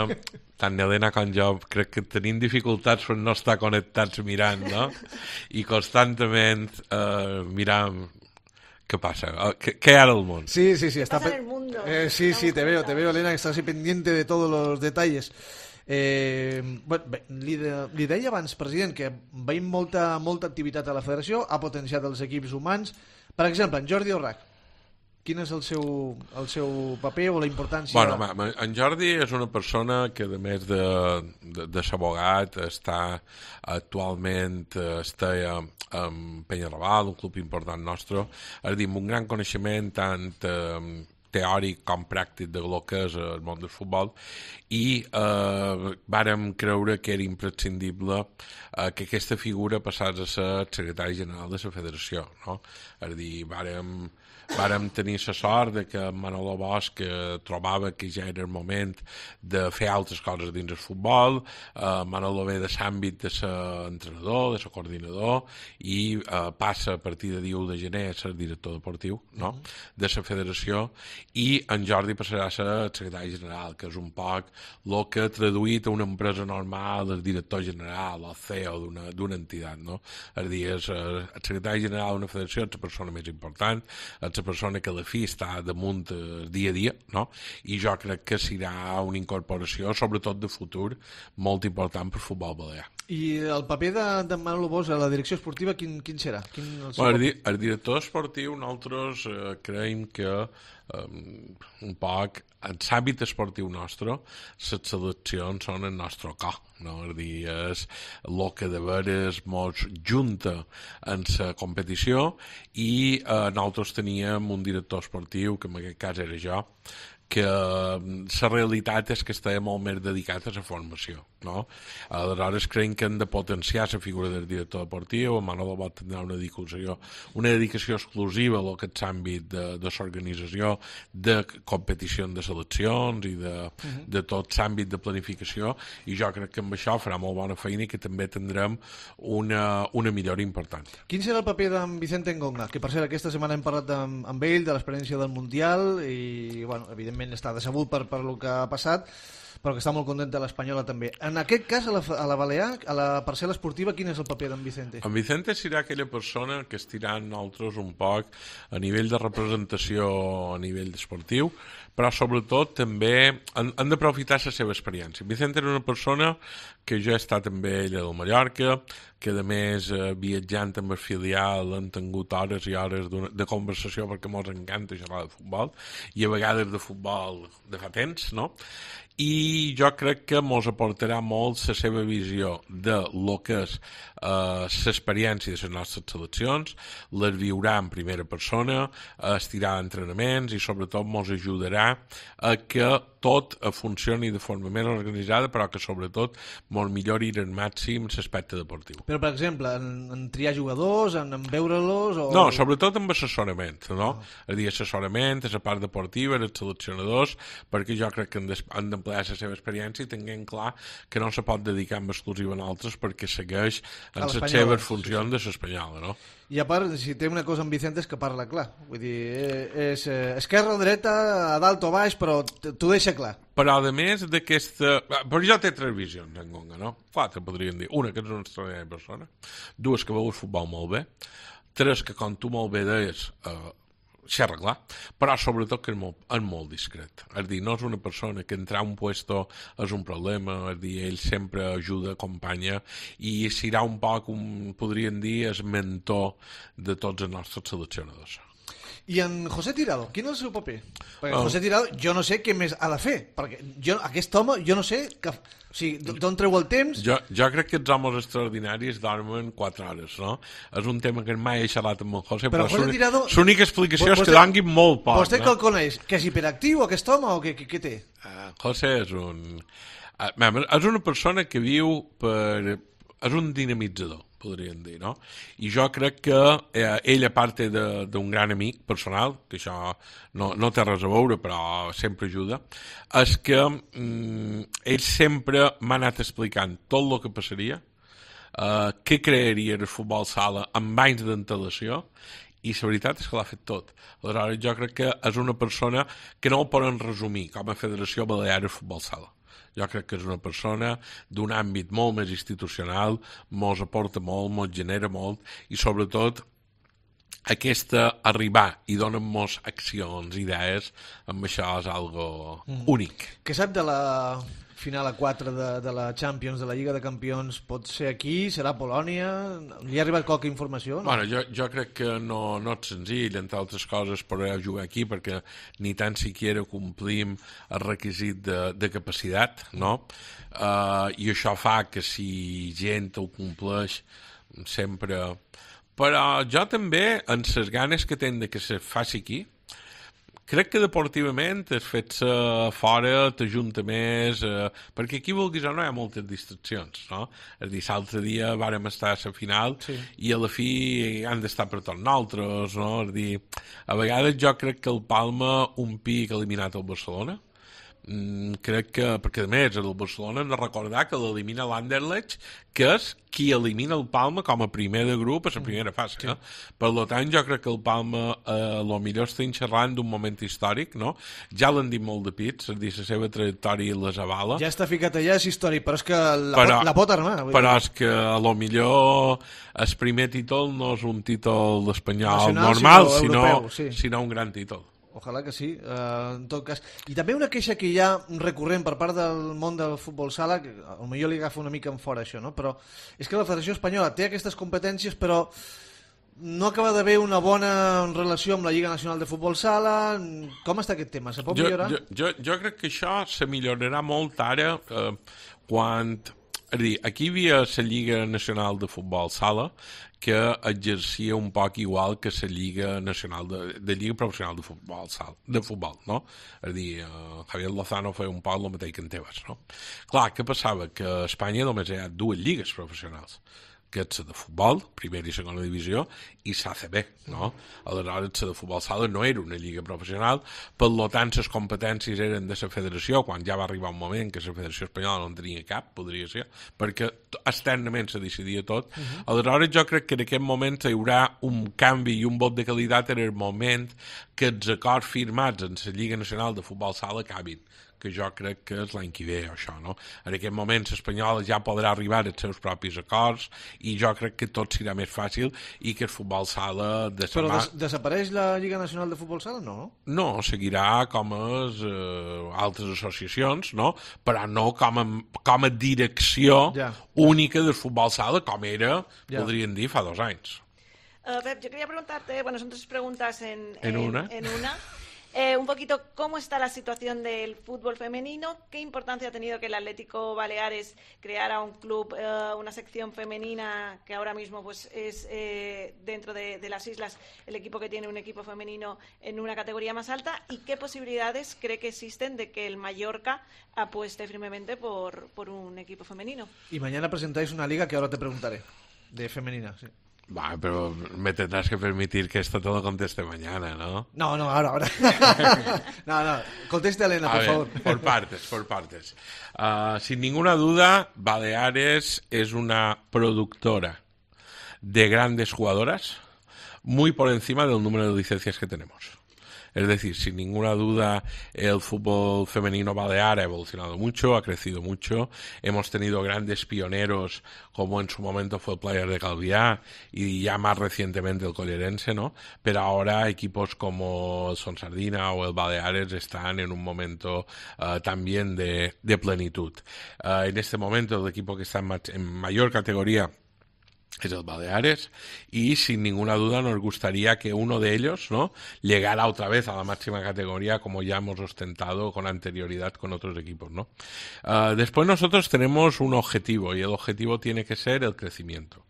tant Helena com jo crec que tenim dificultats per no estar connectats mirant, no? I constantment eh, miram què passa, eh, què, què hi ha al món. Sí, sí, sí. Está Pasa pe- en el mundo. Eh, sí, sí, te veo, te veo, Elena, que estás así pendiente de todos los detalles. Eh, bueno, bé, li, de, li deia abans, president, que veiem molta, molta activitat a la federació, ha potenciat els equips humans. Per exemple, en Jordi Orrac, quin és el seu, el seu paper o la importància? Bueno, ma, ma, en Jordi és una persona que, a més de, de, de ser abogat, està actualment eh, està en Penyarrabal, un club important nostre, és a dir, amb un gran coneixement tant eh, teòric com pràctic de lo que és el món del futbol, i eh, vàrem creure que era imprescindible eh, que aquesta figura passés a ser el secretari general de la federació, no? És a dir, vàrem vàrem tenir la sort de que Manolo Bosch eh, trobava que ja era el moment de fer altres coses dins el futbol. eh, Manolo ve de l'àmbit de ser entrenador, de ser coordinador, i eh, passa a partir de dia u de gener a ser director deportiu, no? de la federació, i en Jordi passarà a ser el secretari general, que és un poc el que ha traduït a una empresa normal el director general o C E O d'una entitat, no? És a dir, és, eh, el secretari general d'una federació és la persona més important, és la persona que a la fi està damunt el dia a dia, no? I jo crec que serà una incorporació, sobretot de futur, molt important per futbol balear. I el paper de, de Manolo Bosch a la direcció esportiva, quin, quin serà? Quin el, bueno, el, el director esportiu, nosaltres eh, creiem que eh, un poc en l'àmbit esportiu nostre, les seleccions són el nostre cor, no? És dir, és el que de veres mos junta en la competició, i eh, nosaltres teníem un director esportiu, que en aquest cas era jo, que la realitat és que estava molt més dedicat a la formació, no? Aleshores creiem que hem de potenciar la figura del director deportiu. Manolo Bosch tindrà una dedicació, una dedicació exclusiva a aquest àmbit de, de l'organització de competició de seleccions i de, uh-huh. de tot l'àmbit de planificació, i jo crec que amb això farà molt bona feina i que també tindrem una, una millora important. Quin serà el paper d'en Vicente Engonga? Que per cert aquesta setmana hem parlat amb, amb ell de l'experiència del Mundial i, bueno, evidentment està decebut per, per el que ha passat, però que està molt content de l'Espanyola també. En aquest cas, a la, a la Balear, a la parcel·la esportiva, quin és el paper d'en Vicente? En Vicente serà aquella persona que estirà nosaltres un poc a nivell de representació a nivell esportiu, però sobretot també han, han d'aprofitar la seva experiència. Vicente era una persona que jo he estat amb ell a Mallorca, que a més eh, viatjant amb el filial han tingut hores i hores de conversació perquè ens encanta xerrar de futbol, i a vegades de futbol de fa temps, no? I jo crec que ens aportarà molt la seva visió de lo que és eh, l'experiència de les nostres seleccions, les viurà en primera persona, estirà entrenaments, i sobretot ens ajudarà a que tot funcioni de forma més organitzada, però que sobretot ens millori al màxim l'aspecte deportiu. Però, per exemple, en, en triar jugadors, en, en veure-los... O... No, sobretot amb assessorament, no? Oh. És a dir, assessorament, a la part deportiva, els seleccionadors, perquè jo crec que han d'emplear la seva experiència i tinguem clar que no se pot dedicar en exclusiva a altres, perquè segueix en les seves funcions de l'espanyola, no? I a part, si té una cosa amb Vicente és que parla clar. Vull dir, és eh, esquerra o dreta, a dalt o baix, però t'ho deixa clar. Però, a més d'aquesta... Però ja té tres visions, en Gonga, no? Quatre, podríem dir. Una, que és una extraordinària persona. Dues, que veu el futbol molt bé. Tres, que, com tu molt bé deies, eh, xerra clar, però sobretot que és molt, és molt discret. És dir, no és una persona que entrar a un puesto és un problema, és dir, ell sempre ajuda, acompanya, i serà un poc, un, podríem dir, el mentor de tots els nostres seleccionadors. I en José Tirado, quin és el seu paper? Perquè oh. José Tirado, jo no sé què més ha de fer, perquè jo, aquest home, jo no sé que, o sigui, d'on treu el temps? Jo, jo crec que els homes extraordinaris dormen quatre hores, no? És un tema que mai he xerrat amb el José, però, però l'única explicació és que donguin molt poc. Vostè no? Que el coneix? Que és hiperactiu aquest home o què, què, què té? Uh, José és un... Uh, és una persona que viu per... És un dinamitzador, podríem dir, no? I jo crec que eh, ell, a part d'un gran amic personal, que això no, no té res a veure, però sempre ajuda, és que mm, ell sempre m'ha anat explicant tot el que passaria, eh, què crearia el futbol sala amb anys d'antelació, i la veritat és que l'ha fet tot. Aleshores, jo crec que és una persona que no ho poden resumir com a Federació Balear de Futbol Sala. Jo crec que és una persona d'un àmbit molt més institucional, mos aporta molt, mos genera molt, i sobretot aquesta arribar i donar-nos accions, idees, amb això és algo mm. únic. Què sap de la final a quatre de, de la Champions, de la Lliga de Campions? Pot ser aquí? Serà a Polònia? Li ha arribat qualque informació? No? Bueno, jo, jo crec que no, no és senzill, entre altres coses, poder jugar aquí, perquè ni tan siquiera complim el requisit de, de capacitat, no? Uh, I això fa que si gent ho compleix sempre... Però jo també, en les ganes que tenc de que se faci aquí, crec que deportivament el fet-se fora t'ajunta més, eh, perquè aquí, vulguis o no, hi ha moltes distraccions, no? És a dir, l'altre dia vàrem estar a la final sí. i a la fi han d'estar per tots nosaltres, no? És a dir, a vegades jo crec que el Palma, un pic eliminat al Barcelona, Mm, crec que, perquè a més el Barcelona hem de recordar que l'elimina l'Anderlecht, que és qui elimina el Palma com a primer de grup a la primera fase, sí. no? Per tant jo crec que el Palma eh, lo millor estem xerrant d'un moment històric, no? Ja l'han dit molt de pits, és a dir, la seva trajectòria les avala, ja està ficat allà, és històric, però és que la, però, pot, la pot armar, però dir. És que a lo millor el primer títol no és un títol espanyol Nacional, normal, sinó, europeu, sinó, sí. sinó un gran títol. Ojalà que sí, uh, en tot cas. I també una queixa que hi ha recurrent per part del món del futbol sala, que potser li agafa una mica en fora això, no? Però és que la Federació Espanyola té aquestes competències, però no acaba d'haver una bona relació amb la Lliga Nacional de Futbol Sala. Com està aquest tema? Se pot jo, millorar? Jo, jo, jo crec que això se millorarà molt ara eh, quan... És a dir, aquí hi havia la Lliga Nacional de Futbol Sala que exercia un poc igual que la Lliga Nacional de, de Lliga Professional de Futbol Sala, de futbol, no? És a dir, uh, Javier Lozano feia un poc el mateix que en Tebas, no? Clar, què passava? Que a Espanya només hi ha dues lligues professionals, que és la de futbol, primera i segona divisió, i l'A C B, no? Aleshores, la de futbol sala no era una lliga professional, per tant, les competències eren de la federació, quan ja va arribar un moment que la Federació Espanyola no en tenia cap, podria ser, perquè externament se decidia tot. Uh -huh. Aleshores, jo crec que en aquest moment hi haurà un canvi i un vot de qualitat en el moment que els acords firmats en la Lliga Nacional de Futbol Sala acabin, que jo crec que és l'any que ve, això, no? En aquest moment l'Espanyola ja podrà arribar als seus propis acords i jo crec que tot serà més fàcil i que el futbol sala... De Però des desapareix la Lliga Nacional de Futbol Sala, no? No, seguirà com a eh, altres associacions, no? Però no com a, com a direcció ja. única del futbol sala, com era, ja. podríem dir, fa dos anys. Uh, Pep, yo quería preguntarte, bueno, son tres preguntas en, en, en una. En una. Eh, un poquito cómo está la situación del fútbol femenino, qué importancia ha tenido que el Atlético Baleares creara un club, eh, una sección femenina que ahora mismo pues es eh, dentro de, de las islas el equipo que tiene un equipo femenino en una categoría más alta, y qué posibilidades cree que existen de que el Mallorca apueste firmemente por, por un equipo femenino. Y mañana presentáis una liga que ahora te preguntaré, de femenina, sí. Va, pero me tendrás que permitir que esto te lo conteste mañana, ¿no? No, no, ahora, ahora. no, no, conteste Elena, por ver, favor. Por partes, por partes. Uh, sin ninguna duda, Baleares es una productora de grandes jugadoras muy por encima del número de licencias que tenemos. Es decir, sin ninguna duda, el fútbol femenino balear ha evolucionado mucho, ha crecido mucho. Hemos tenido grandes pioneros, como en su momento fue el Player de Calviá y ya más recientemente el Collerense, ¿no? Pero ahora equipos como el Sonsardina o el Baleares están en un momento uh, también de, de plenitud. Uh, en este momento, el equipo que está en, ma- en mayor categoría es el Baleares, y sin ninguna duda nos gustaría que uno de ellos, ¿no?, llegara otra vez a la máxima categoría como ya hemos ostentado con anterioridad con otros equipos, ¿no? Uh, después nosotros tenemos un objetivo, y el objetivo tiene que ser el crecimiento.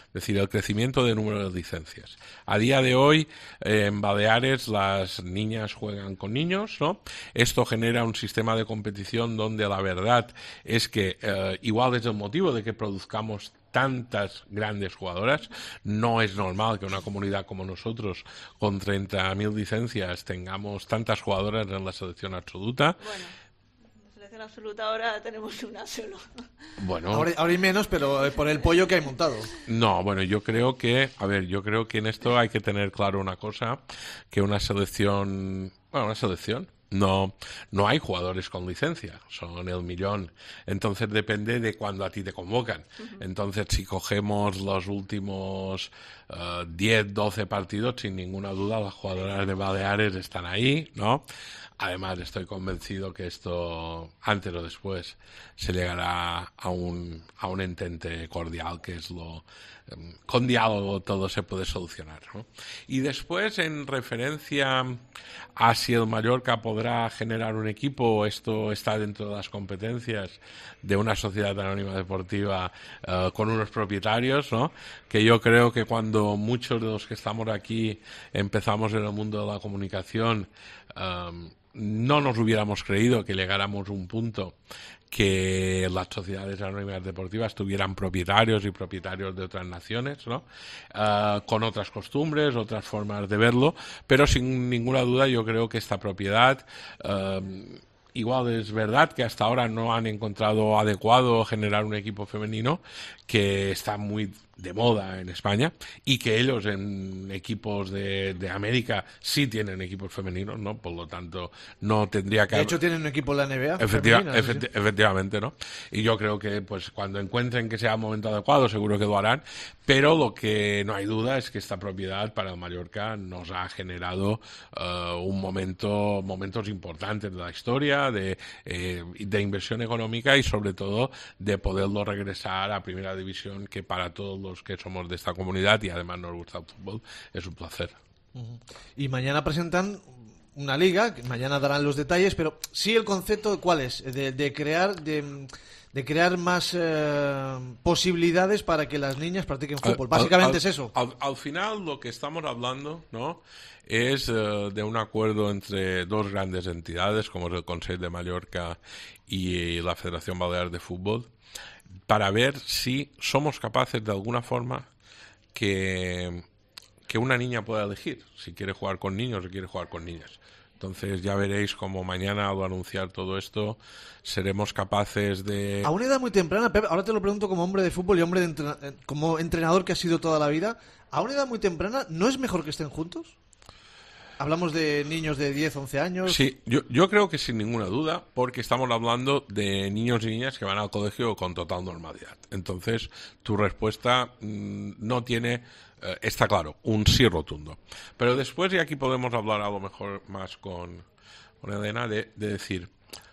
Es decir, el crecimiento de número de licencias. A día de hoy, eh, en Baleares, las niñas juegan con niños, ¿no? Esto genera un sistema de competición donde la verdad es que, eh, igual es el motivo de que produzcamos tantas grandes jugadoras, no es normal que una comunidad como nosotros, con treinta mil licencias, tengamos tantas jugadoras en la selección absoluta. Bueno. En absoluta ahora tenemos una solo. Bueno, ahora, ahora hay menos, pero por el pollo que hay montado. No, bueno, yo creo que, a ver, yo creo que en esto hay que tener claro una cosa, que una selección, bueno, una selección, no, no hay jugadores con licencia, son el millón. Entonces depende de cuando a ti te convocan. Uh-huh. Entonces, si cogemos los últimos uh, diez, doce partidos, sin ninguna duda las jugadoras de Baleares están ahí, ¿no? Además, estoy convencido que esto, antes o después, se llegará a un, a un entente cordial, que es lo, con diálogo todo se puede solucionar, ¿no? Y después, en referencia a si el Mallorca podrá generar un equipo, esto está dentro de las competencias de una sociedad anónima deportiva uh, con unos propietarios, ¿no? Que yo creo que cuando muchos de los que estamos aquí empezamos en el mundo de la comunicación, um, no nos hubiéramos creído que llegáramos a un punto que las sociedades anónimas deportivas tuvieran propietarios y propietarios de otras naciones, ¿no? Uh, con otras costumbres, otras formas de verlo, pero sin ninguna duda yo creo que esta propiedad, uh, igual es verdad que hasta ahora no han encontrado adecuado generar un equipo femenino, que está muy de moda en España, y que ellos en equipos de, de América sí tienen equipos femeninos, ¿no? Por lo tanto, no tendría que... De hecho, tienen un equipo en la N B A. Efectiva, femenina, efecti sí. Efectivamente, ¿no? Y yo creo que pues cuando encuentren que sea el momento adecuado, seguro que lo harán, pero lo que no hay duda es que esta propiedad para el Mallorca nos ha generado uh, un momento, momentos importantes de la historia, de, eh, de inversión económica y sobre todo de poderlo regresar a Primera División, que para todos los que somos de esta comunidad y además nos gusta el fútbol es un placer. Uh-huh. Y mañana presentan una liga, que mañana darán los detalles, pero sí el concepto, ¿cuál es? De, de crear de, de crear más eh, posibilidades para que las niñas practiquen fútbol. Básicamente al, al, es eso. Al, al final lo que estamos hablando, ¿no?, es uh, de un acuerdo entre dos grandes entidades como es el Consell de Mallorca y la Federación Balear de Fútbol, para ver si somos capaces de alguna forma que, que una niña pueda elegir si quiere jugar con niños o quiere jugar con niñas. Entonces ya veréis como mañana al anunciar todo esto seremos capaces de... A una edad muy temprana, Pep, ahora te lo pregunto como hombre de fútbol y hombre de entrena... como entrenador que has sido toda la vida, a una edad muy temprana, ¿no es mejor que estén juntos? Hablamos de niños de diez, once años. Sí, yo, yo creo que sin ninguna duda, porque estamos hablando de niños y niñas que van al colegio con total normalidad. Entonces, tu respuesta mmm, no tiene, eh, está claro, un sí rotundo. Pero después, y aquí podemos hablar a lo mejor más con, con Elena, de, de decir,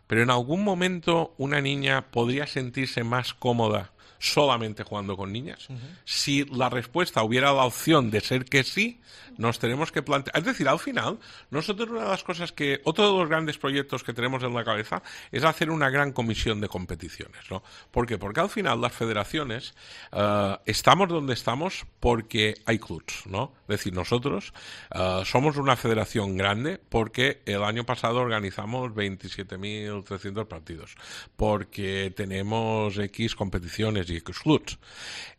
pero en algún momento una niña podría sentirse más cómoda solamente jugando con niñas. Uh-huh. Si la respuesta hubiera la opción de ser que sí, nos tenemos que plantear... Es decir, al final, nosotros una de las cosas que... Otro de los grandes proyectos que tenemos en la cabeza es hacer una gran comisión de competiciones, ¿no? ¿Por qué? Porque al final las federaciones uh, estamos donde estamos porque hay clubs, ¿no? Es decir, nosotros uh, somos una federación grande porque el año pasado organizamos veintisiete mil trescientos partidos, porque tenemos X competiciones y X clubs.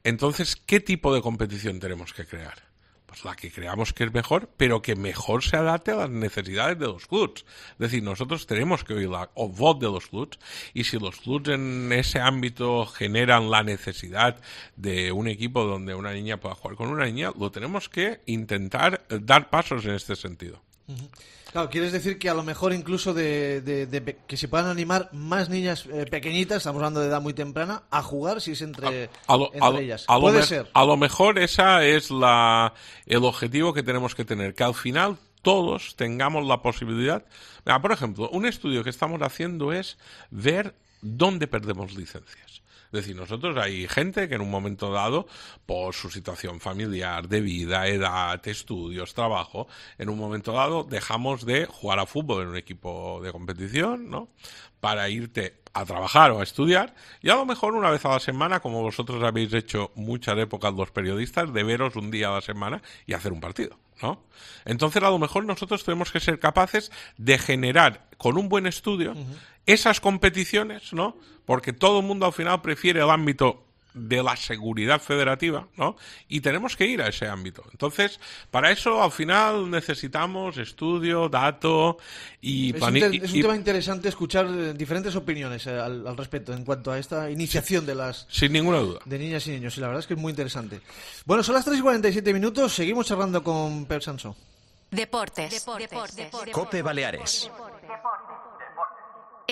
Entonces, ¿qué tipo de competición tenemos que crear? Pues la que creamos que es mejor, pero que mejor se adapte a las necesidades de los clubs. Es decir, nosotros tenemos que oír la voz de los clubs, y si los clubs en ese ámbito generan la necesidad de un equipo donde una niña pueda jugar con una niña, lo tenemos que intentar dar pasos en este sentido. Uh-huh. Claro, quieres decir que a lo mejor incluso de, de, de que se puedan animar más niñas eh, pequeñitas, estamos hablando de edad muy temprana, a jugar si es entre, a, a lo, entre a lo, ellas. A Puede lo ser. A lo mejor esa es la el objetivo que tenemos que tener, que al final todos tengamos la posibilidad. Mira, por ejemplo, un estudio que estamos haciendo es ver dónde perdemos licencias. Es decir, nosotros hay gente que en un momento dado, por su situación familiar, de vida, edad, estudios, trabajo, en un momento dado dejamos de jugar a fútbol en un equipo de competición, ¿no?, para irte a trabajar o a estudiar, y a lo mejor una vez a la semana, como vosotros habéis hecho muchas épocas los periodistas, de veros un día a la semana y hacer un partido, ¿no? Entonces, a lo mejor nosotros tenemos que ser capaces de generar, con un buen estudio, uh-huh, esas competiciones, ¿no? Porque todo el mundo al final prefiere el ámbito de la seguridad federativa, ¿no? Y tenemos que ir a ese ámbito. Entonces, para eso al final necesitamos estudio, dato y... Es un, te- es un y, tema interesante escuchar diferentes opiniones eh, al, al respecto en cuanto a esta iniciación de las... Sin ninguna duda. De niñas y niños, y la verdad es que es muy interesante. Bueno, son las tres y cuarenta y siete minutos, seguimos charlando con Pep Sansó. Deportes. Deportes. Deportes. Cope Baleares.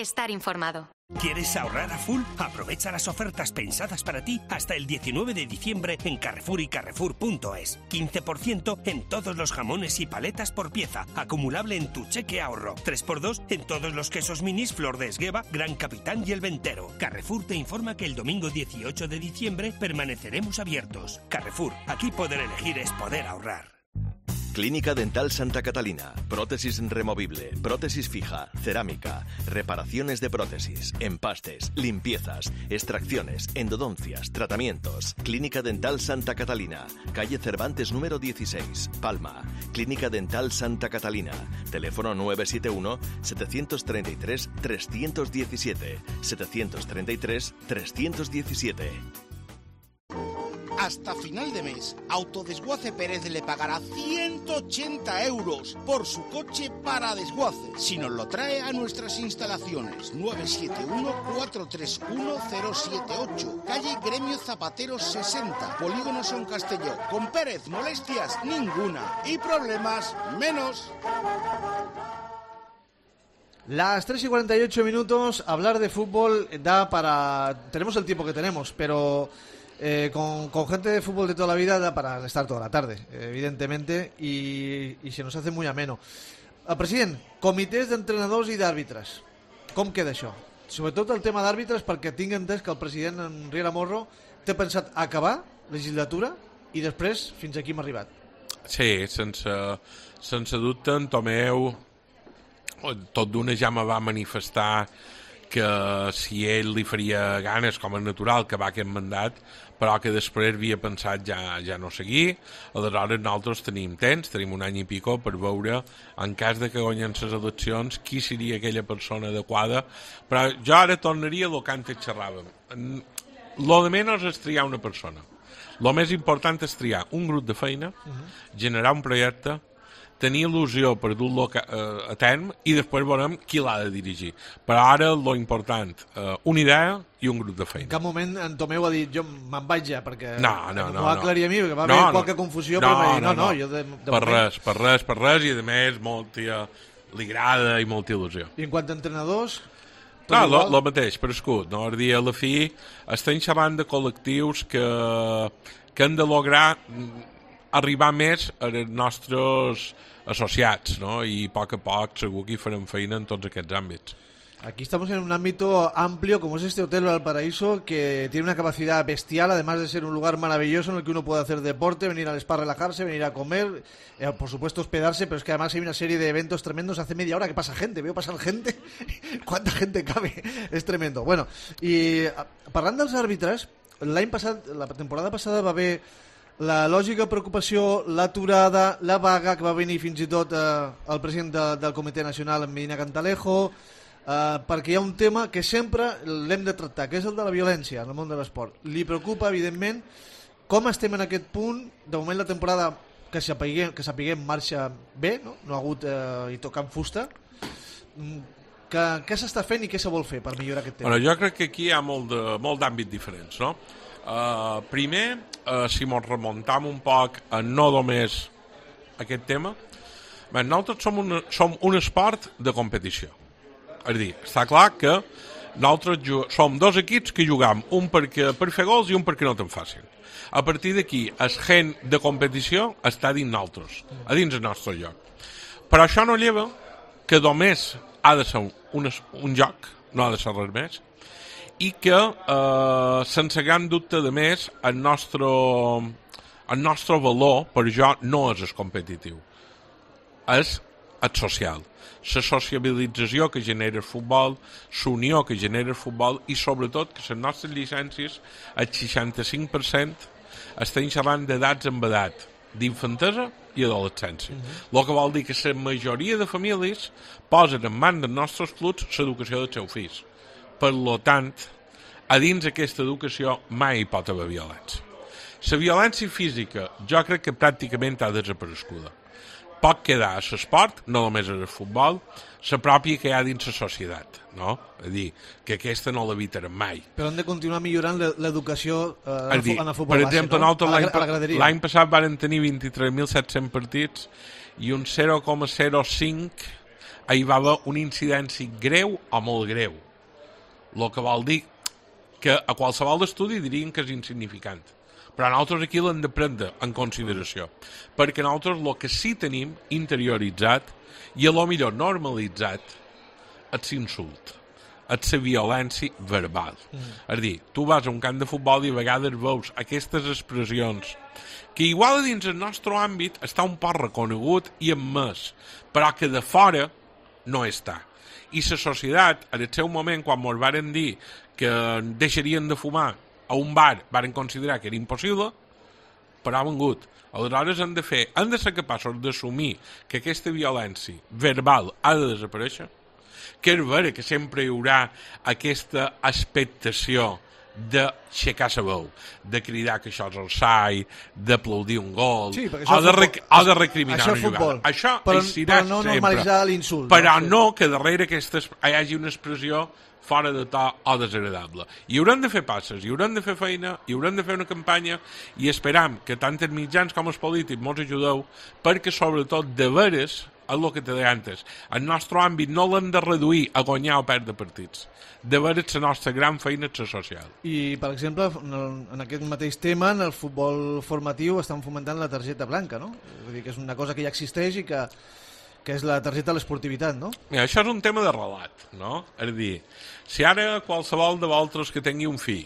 estar informado. ¿Quieres ahorrar a full? Aprovecha las ofertas pensadas para ti hasta el diecinueve de diciembre en Carrefour y Carrefour punto es. quince por ciento en todos los jamones y paletas por pieza, acumulable en tu cheque ahorro. tres por dos en todos los quesos minis Flor de Esgueva, Gran Capitán y El Ventero. Carrefour te informa que el domingo dieciocho de diciembre permaneceremos abiertos. Carrefour, aquí poder elegir es poder ahorrar. Clínica Dental Santa Catalina. Prótesis removible, prótesis fija, cerámica, reparaciones de prótesis, empastes, limpiezas, extracciones, endodoncias, tratamientos. Clínica Dental Santa Catalina. Calle Cervantes número dieciséis, Palma. Clínica Dental Santa Catalina. Teléfono nueve siete uno, siete tres tres, tres uno siete, siete tres tres, tres uno siete. Hasta final de mes, Autodesguace Pérez le pagará ciento ochenta euros por su coche para desguace, si nos lo trae a nuestras instalaciones. Nueve siete uno, cuatro tres uno, cero siete ocho, calle Gremio Zapateros sesenta, Polígono Son Castelló. Con Pérez, molestias ninguna y problemas menos. Las tres y cuarenta y ocho minutos, hablar de fútbol da para... Tenemos el tiempo que tenemos, pero... Eh, con, con gente de fútbol de toda la vida da para estar toda la tarde, evidentemente, y, i se nos hace muy ameno. El president, comitès d'entrenadors i d'àrbitres, com queda això? Sobretot el tema d'àrbitres, perquè tinc entès que el president en Riera Morro té pensat acabar legislatura i després fins aquí hem arribat. Sí, sense, sense dubte en Tomeu tot d'una ja me va manifestar que si ell li faria ganes, com a natural, que va aquest mandat, però que després havia pensat ja, ja no seguir. Aleshores nosaltres tenim temps, tenim un any i pico per veure, en cas de que guanyen les eleccions, qui seria aquella persona adequada. Però jo ara tornaria a lo que antes xerràvem. Lo de menys és triar una persona. Lo més important és triar un grup de feina, generar un projecte, tenir il·lusió per dur-lo a terme i després veurem qui l'ha de dirigir. Però ara lo important, eh, una idea i un grup de feina. En cap moment en Tomeu ha dit jo me'n vaig ja, perquè no, no, no, m'ho va aclarir a mi, perquè va no, haver no. qualque confusió, no, però va dir no, no, no, no. jo de, de per moment... res, per res, per res, i a més molta, li agrada i molta il·lusió. I en quant a entrenadors... No, lo, lo mateix, per escut, no? El dia a la fi estem xerrant de col·lectius que, que han de lograr arribar més als nostres associats, ¿no? I a poc a poc segur que hi farem feina en tots aquests àmbits. Aquí estamos en un ámbito amplio como es este Hotel Valparaíso, que tiene una capacidad bestial, además de ser un lugar maravilloso en el que uno puede hacer deporte, venir al spa a relajarse, venir a comer, eh, por supuesto hospedarse, pero es que además hay una serie de eventos tremendos. Hace media hora que pasa gente, veo pasar gente, ¿cuánta gente cabe? Es tremendo. Bueno, i parlant dels àrbitres, l'any passat, la temporada passada va haver la lògica preocupació, l'aturada, la vaga, que va venir fins i tot eh, el president de, del Comitè Nacional, en Medina Cantalejo, eh, perquè hi ha un tema que sempre l'hem de tractar, que és el de la violència en el món de l'esport. Li preocupa, evidentment, com estem en aquest punt. De moment la temporada, que sapiguem, que sapiguem marxa bé, no, no ha hagut eh, i tocant fusta. Que, què s'està fent i què se vol fer per millorar aquest tema? Bueno, jo crec que aquí hi ha molt de, molt d'àmbits diferents, no? Uh, primer, uh, si ens remuntam un poc a no només aquest tema, bé, nosaltres som un, som un esport de competició. És a dir, està clar que nosaltres som dos equips que jugam, un perquè, per fer gols i un perquè no te'n facin. A partir d'aquí, el gent de competició està dins nosaltres, a dins el nostre joc. Però això no lleva que només ha de ser un, un, un joc, no ha de ser res més, i que, eh, sense gran dubte de més, el nostre, el nostre valor per jo no és el competitiu, és el social. La sociabilització que genera el futbol, l'unió que genera el futbol i sobretot que les nostres llicències, el seixanta-cinc per cent, estan xerrant d'edats en edat, d'infantesa i adolescència. Mm-hmm. El que vol dir que la majoria de famílies posen en mans dels nostres clubs l'educació dels seus fills. Per tant, a dins d'aquesta educació mai hi pot haver violència. La violència física jo crec que pràcticament ha desapareguda. Pot quedar a l'esport, no només al futbol, la pròpia que hi ha dins la societat, no? És a dir, que aquesta no l'evitarem mai. Però hem de continuar millorant l'educació eh, dir, en el futbol per base, exemple, no? nosaltres l'any passat van tenir vint-i-tres mil set-cents partits i un zero coma zero cinc hi va haver una incidència greu o molt greu. El que vol dir que a qualsevol estudi dirien que és insignificant. Però nosaltres aquí l'hem de prendre en consideració. Perquè nosaltres el que sí tenim interioritzat i a lo millor normalitzat és l'insult, és la violència verbal. Mm. És a dir, tu vas a un camp de futbol i a vegades veus aquestes expressions que igual dins el nostre àmbit està un poc reconegut i admès, però que de fora no està. I la societat, en el seu moment, quan ens varen dir que deixarien de fumar a un bar, varen considerar que era impossible, però ha vengut. Aleshores hem de fer, hem de ser capaços d'assumir que aquesta violència verbal ha de desaparèixer, que és vera que sempre hi haurà aquesta expectació d'aixecar la veu, de cridar que això és el sai, d'aplaudir un gol, sí, o, de rec o de recriminar això una jugada. Això però, serà però no sempre. normalitzar l'insult. Però no, no que darrere aquesta hi hagi una expressió fora de to o desagradable. I haurem de fer passes, i haurem de fer feina, i haurem de fer una campanya, i esperam que tant els mitjans com els polítics ens ajudeu, perquè sobretot de veres, és el que te deia antes, el nostre àmbit no l'hem de reduir a guanyar o perdre partits. De veres la nostra gran feina és la social. I, per exemple, en aquest mateix tema, en el futbol formatiu estan fomentant la targeta blanca, no? Vull dir que és una cosa que ja existeix i que que és la targeta de l'esportivitat, no? Mira, això és un tema de relat, no? És a dir, si ara qualsevol de vosaltres que tingui un fill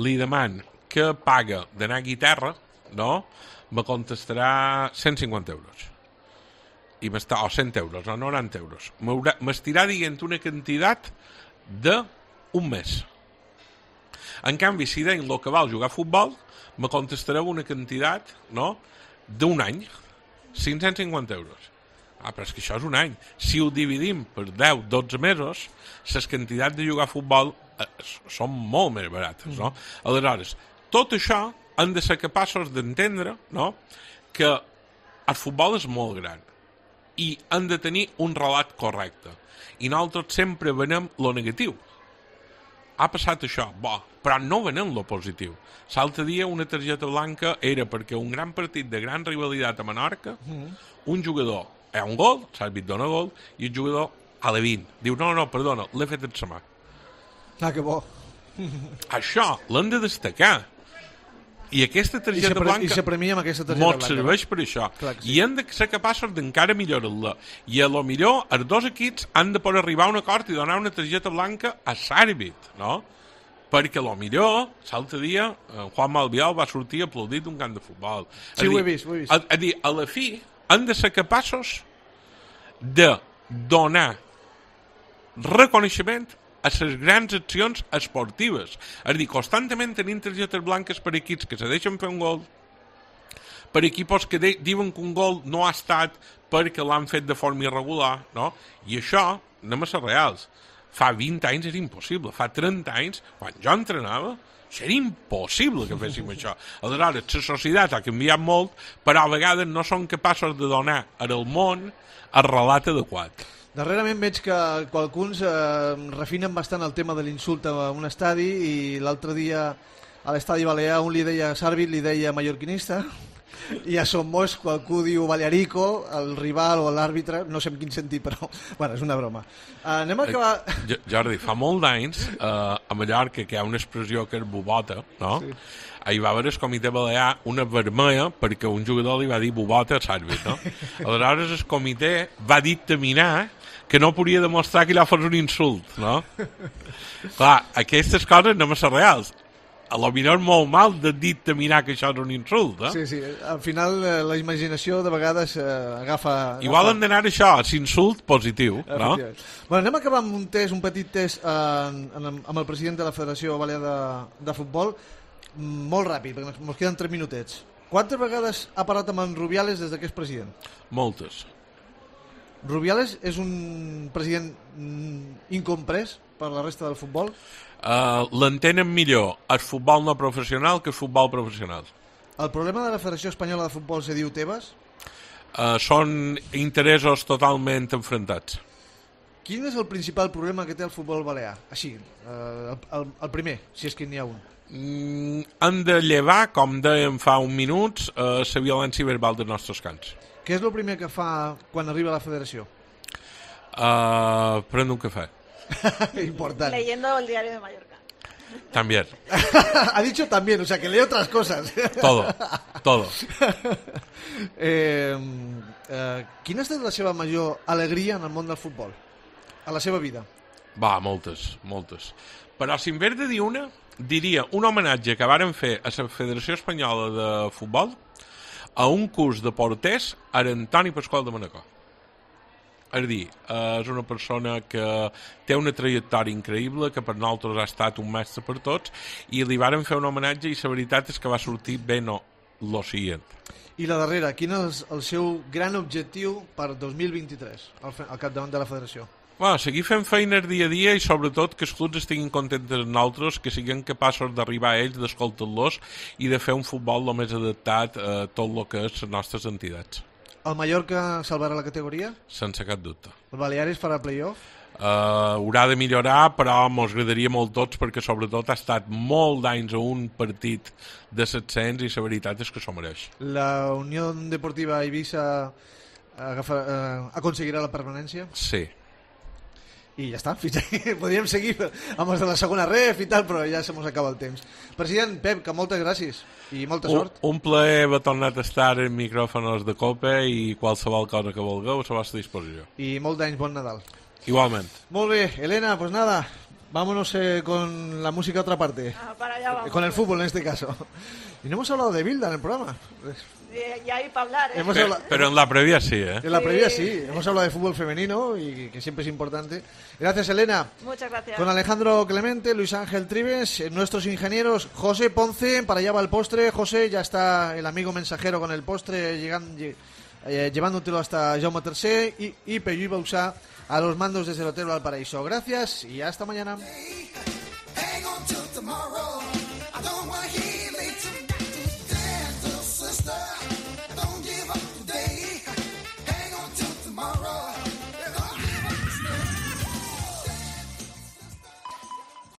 li deman que paga d'anar a guitarra, no? Me contestarà cent cinquanta euros. I m'està, o cent euros, o noranta euros. M'estirà dient una quantitat d'un mes. En canvi, si deien el que val jugar a futbol, me contestareu una quantitat, no?, d'un any, cinc-cents cinquanta euros. Ah, però és que això és un any. Si ho dividim per deu dotze mesos, les quantitats de jugar a futbol eh, són molt més barates, no? Aleshores, tot això hem de ser capaços d'entendre, no?, que el futbol és molt gran i hem de tenir un relat correcte. I nosaltres sempre venem lo negatiu. Ha passat això, bo, però no venem lo positiu. L'altre dia una targeta blanca era perquè un gran partit de gran rivalitat a Menorca, un jugador hi ha un gol, l'àrbit dona gol, i el jugador a la vint diu, no, no, perdona, l'he fet en sa mà. Ah, que bo. Això l'hem de destacar. I aquesta targeta I blanca i se premia amb aquesta targeta mos blanca, serveix no? per això. Clar que sí. I hem de ser capaços d'encara millorar-la. I a lo millor els dos equips han de poder arribar a un acord i donar una targeta blanca a l'àrbit, no? Perquè a lo millor, l'altre dia, Juan Malvial va sortir aplaudit d'un camp de futbol. Sí, ho he vist, ho he vist. A, a dir, a la fi, han de ser capaços de donar reconeixement a les grans accions esportives. És a dir, constantment tenim targetes blanques per equips que se deixen fer un gol, per equips que de, diuen que un gol no ha estat perquè l'han fet de forma irregular, no? I això, anem a ser reals, fa vint anys era impossible, fa trenta anys, quan jo entrenava, era impossible que féssim això. Aleshores, la societat ha canviat molt, però a vegades no són capaços de donar al món el relat adequat. Darrerament veig que qualcuns eh, refinen bastant el tema de l'insult a un estadi i l'altre dia a l'estadi Balear un li deia Sàrbit, li deia mallorquinista i a Somos qualcú diu Balearico, el rival o l'àrbitre, no sé en quin sentit, però bueno, és una broma. Uh, anem a acabar... Eh, Jordi, fa molt d'anys eh, a Mallorca que hi ha una expressió que és bubota, no? Sí. Hi va haver el comitè balear una vermella perquè un jugador li va dir bubota a l'àrbit, no? Aleshores el comitè va dictaminar que no podia demostrar que allò fos un insult, no? Clar, aquestes coses no són reals. A lo millor molt mal de dictaminar que això és un insult, eh? Sí, sí, al final eh, la imaginació de vegades eh, agafa... Igual agafa... hem d'anar això, l'insult positiu, no? Bueno, anem a acabar amb un test, un petit test eh, amb el president de la Federació Balear de, de Futbol, molt ràpid, perquè ens queden tres minutets. Quantes vegades ha parlat amb en Rubiales des que és president? Moltes. Rubiales és un president incomprès per la resta del futbol? Uh, l'entenen millor el futbol no professional que el futbol professional. El problema de la Federació Espanyola de Futbol se diu Tebas? Uh, són interessos totalment enfrontats. Quin és el principal problema que té el futbol balear? Així, uh, el, el, el primer, si és que n'hi ha un. Mm, han de llevar, com dèiem fa un minut, uh, la violència verbal dels nostres camps. Què és el primer que fa quan arriba a la federació? Uh, prendo un café. Importante. Leyendo el diario de Mallorca. También. Ha dicho también, o sea, que lee otras cosas. Todo, todo. Eh, eh, quina ha estat la seva major alegria en el món del futbol? A la seva vida? Va, moltes, moltes. Però si en vez de dir una, diria un homenatge que varen fer a la Federació Espanyola de Futbol a un curs de porters a Antoni Pasqual de Manacor. És a dir, és una persona que té una trajectòria increïble, que per nosaltres ha estat un mestre per tots, i li varen fer un homenatge i la veritat és que va sortir bé no, lo siguient. I la darrera, quin és el seu gran objectiu per dos mil vint-i-tres al, al capdavant de la federació? Bueno, seguir fent feines dia a dia i sobretot que els clubs estiguin contents de nosaltres, que siguin capaços d'arribar a ells, d'escoltar-los i de fer un futbol el més adaptat a tot el que és les nostres entitats. El Mallorca salvarà la categoria? Sense cap dubte. El Balearis farà playoff? Uh, haurà de millorar, però mos agradaria molt tots perquè sobretot ha estat molt d'anys a un partit de set-cents i la veritat és que s'ho mereix. La Unió Deportiva Eivissa agafa, eh, aconseguirà la permanència? Sí. I ja està, fins aquí podríem seguir amb els de la segona ref i tal, però ja se mos acaba el temps. President Pep, que moltes gràcies i molta sort. Un, un plaer haver tornat a estar en micròfonos de Copa i qualsevol cosa que vulgueu a la vostra disposició. I molt d'anys, bon Nadal. Igualment. Molt bé, Elena, pues nada, vámonos eh, con la música a otra parte. Ah, para allá vamos. Con el fútbol en este caso. Y no hemos hablado de Bilda en el programa. Y hay para hablar, ¿eh? Hemos Pero, hablado... pero en la previa sí, ¿eh? En la previa sí. Hemos hablado de fútbol femenino y que siempre es importante. Gracias, Elena. Muchas gracias. Con Alejandro Clemente, Luis Ángel Tribes, nuestros ingenieros, José Ponce, para allá va el postre. José, ya está el amigo mensajero con el postre llegando, eh, llevándotelo hasta Jaume tercer y, y Pello Bausá a los mandos desde el Hotel Valparaíso. Gracias y hasta mañana.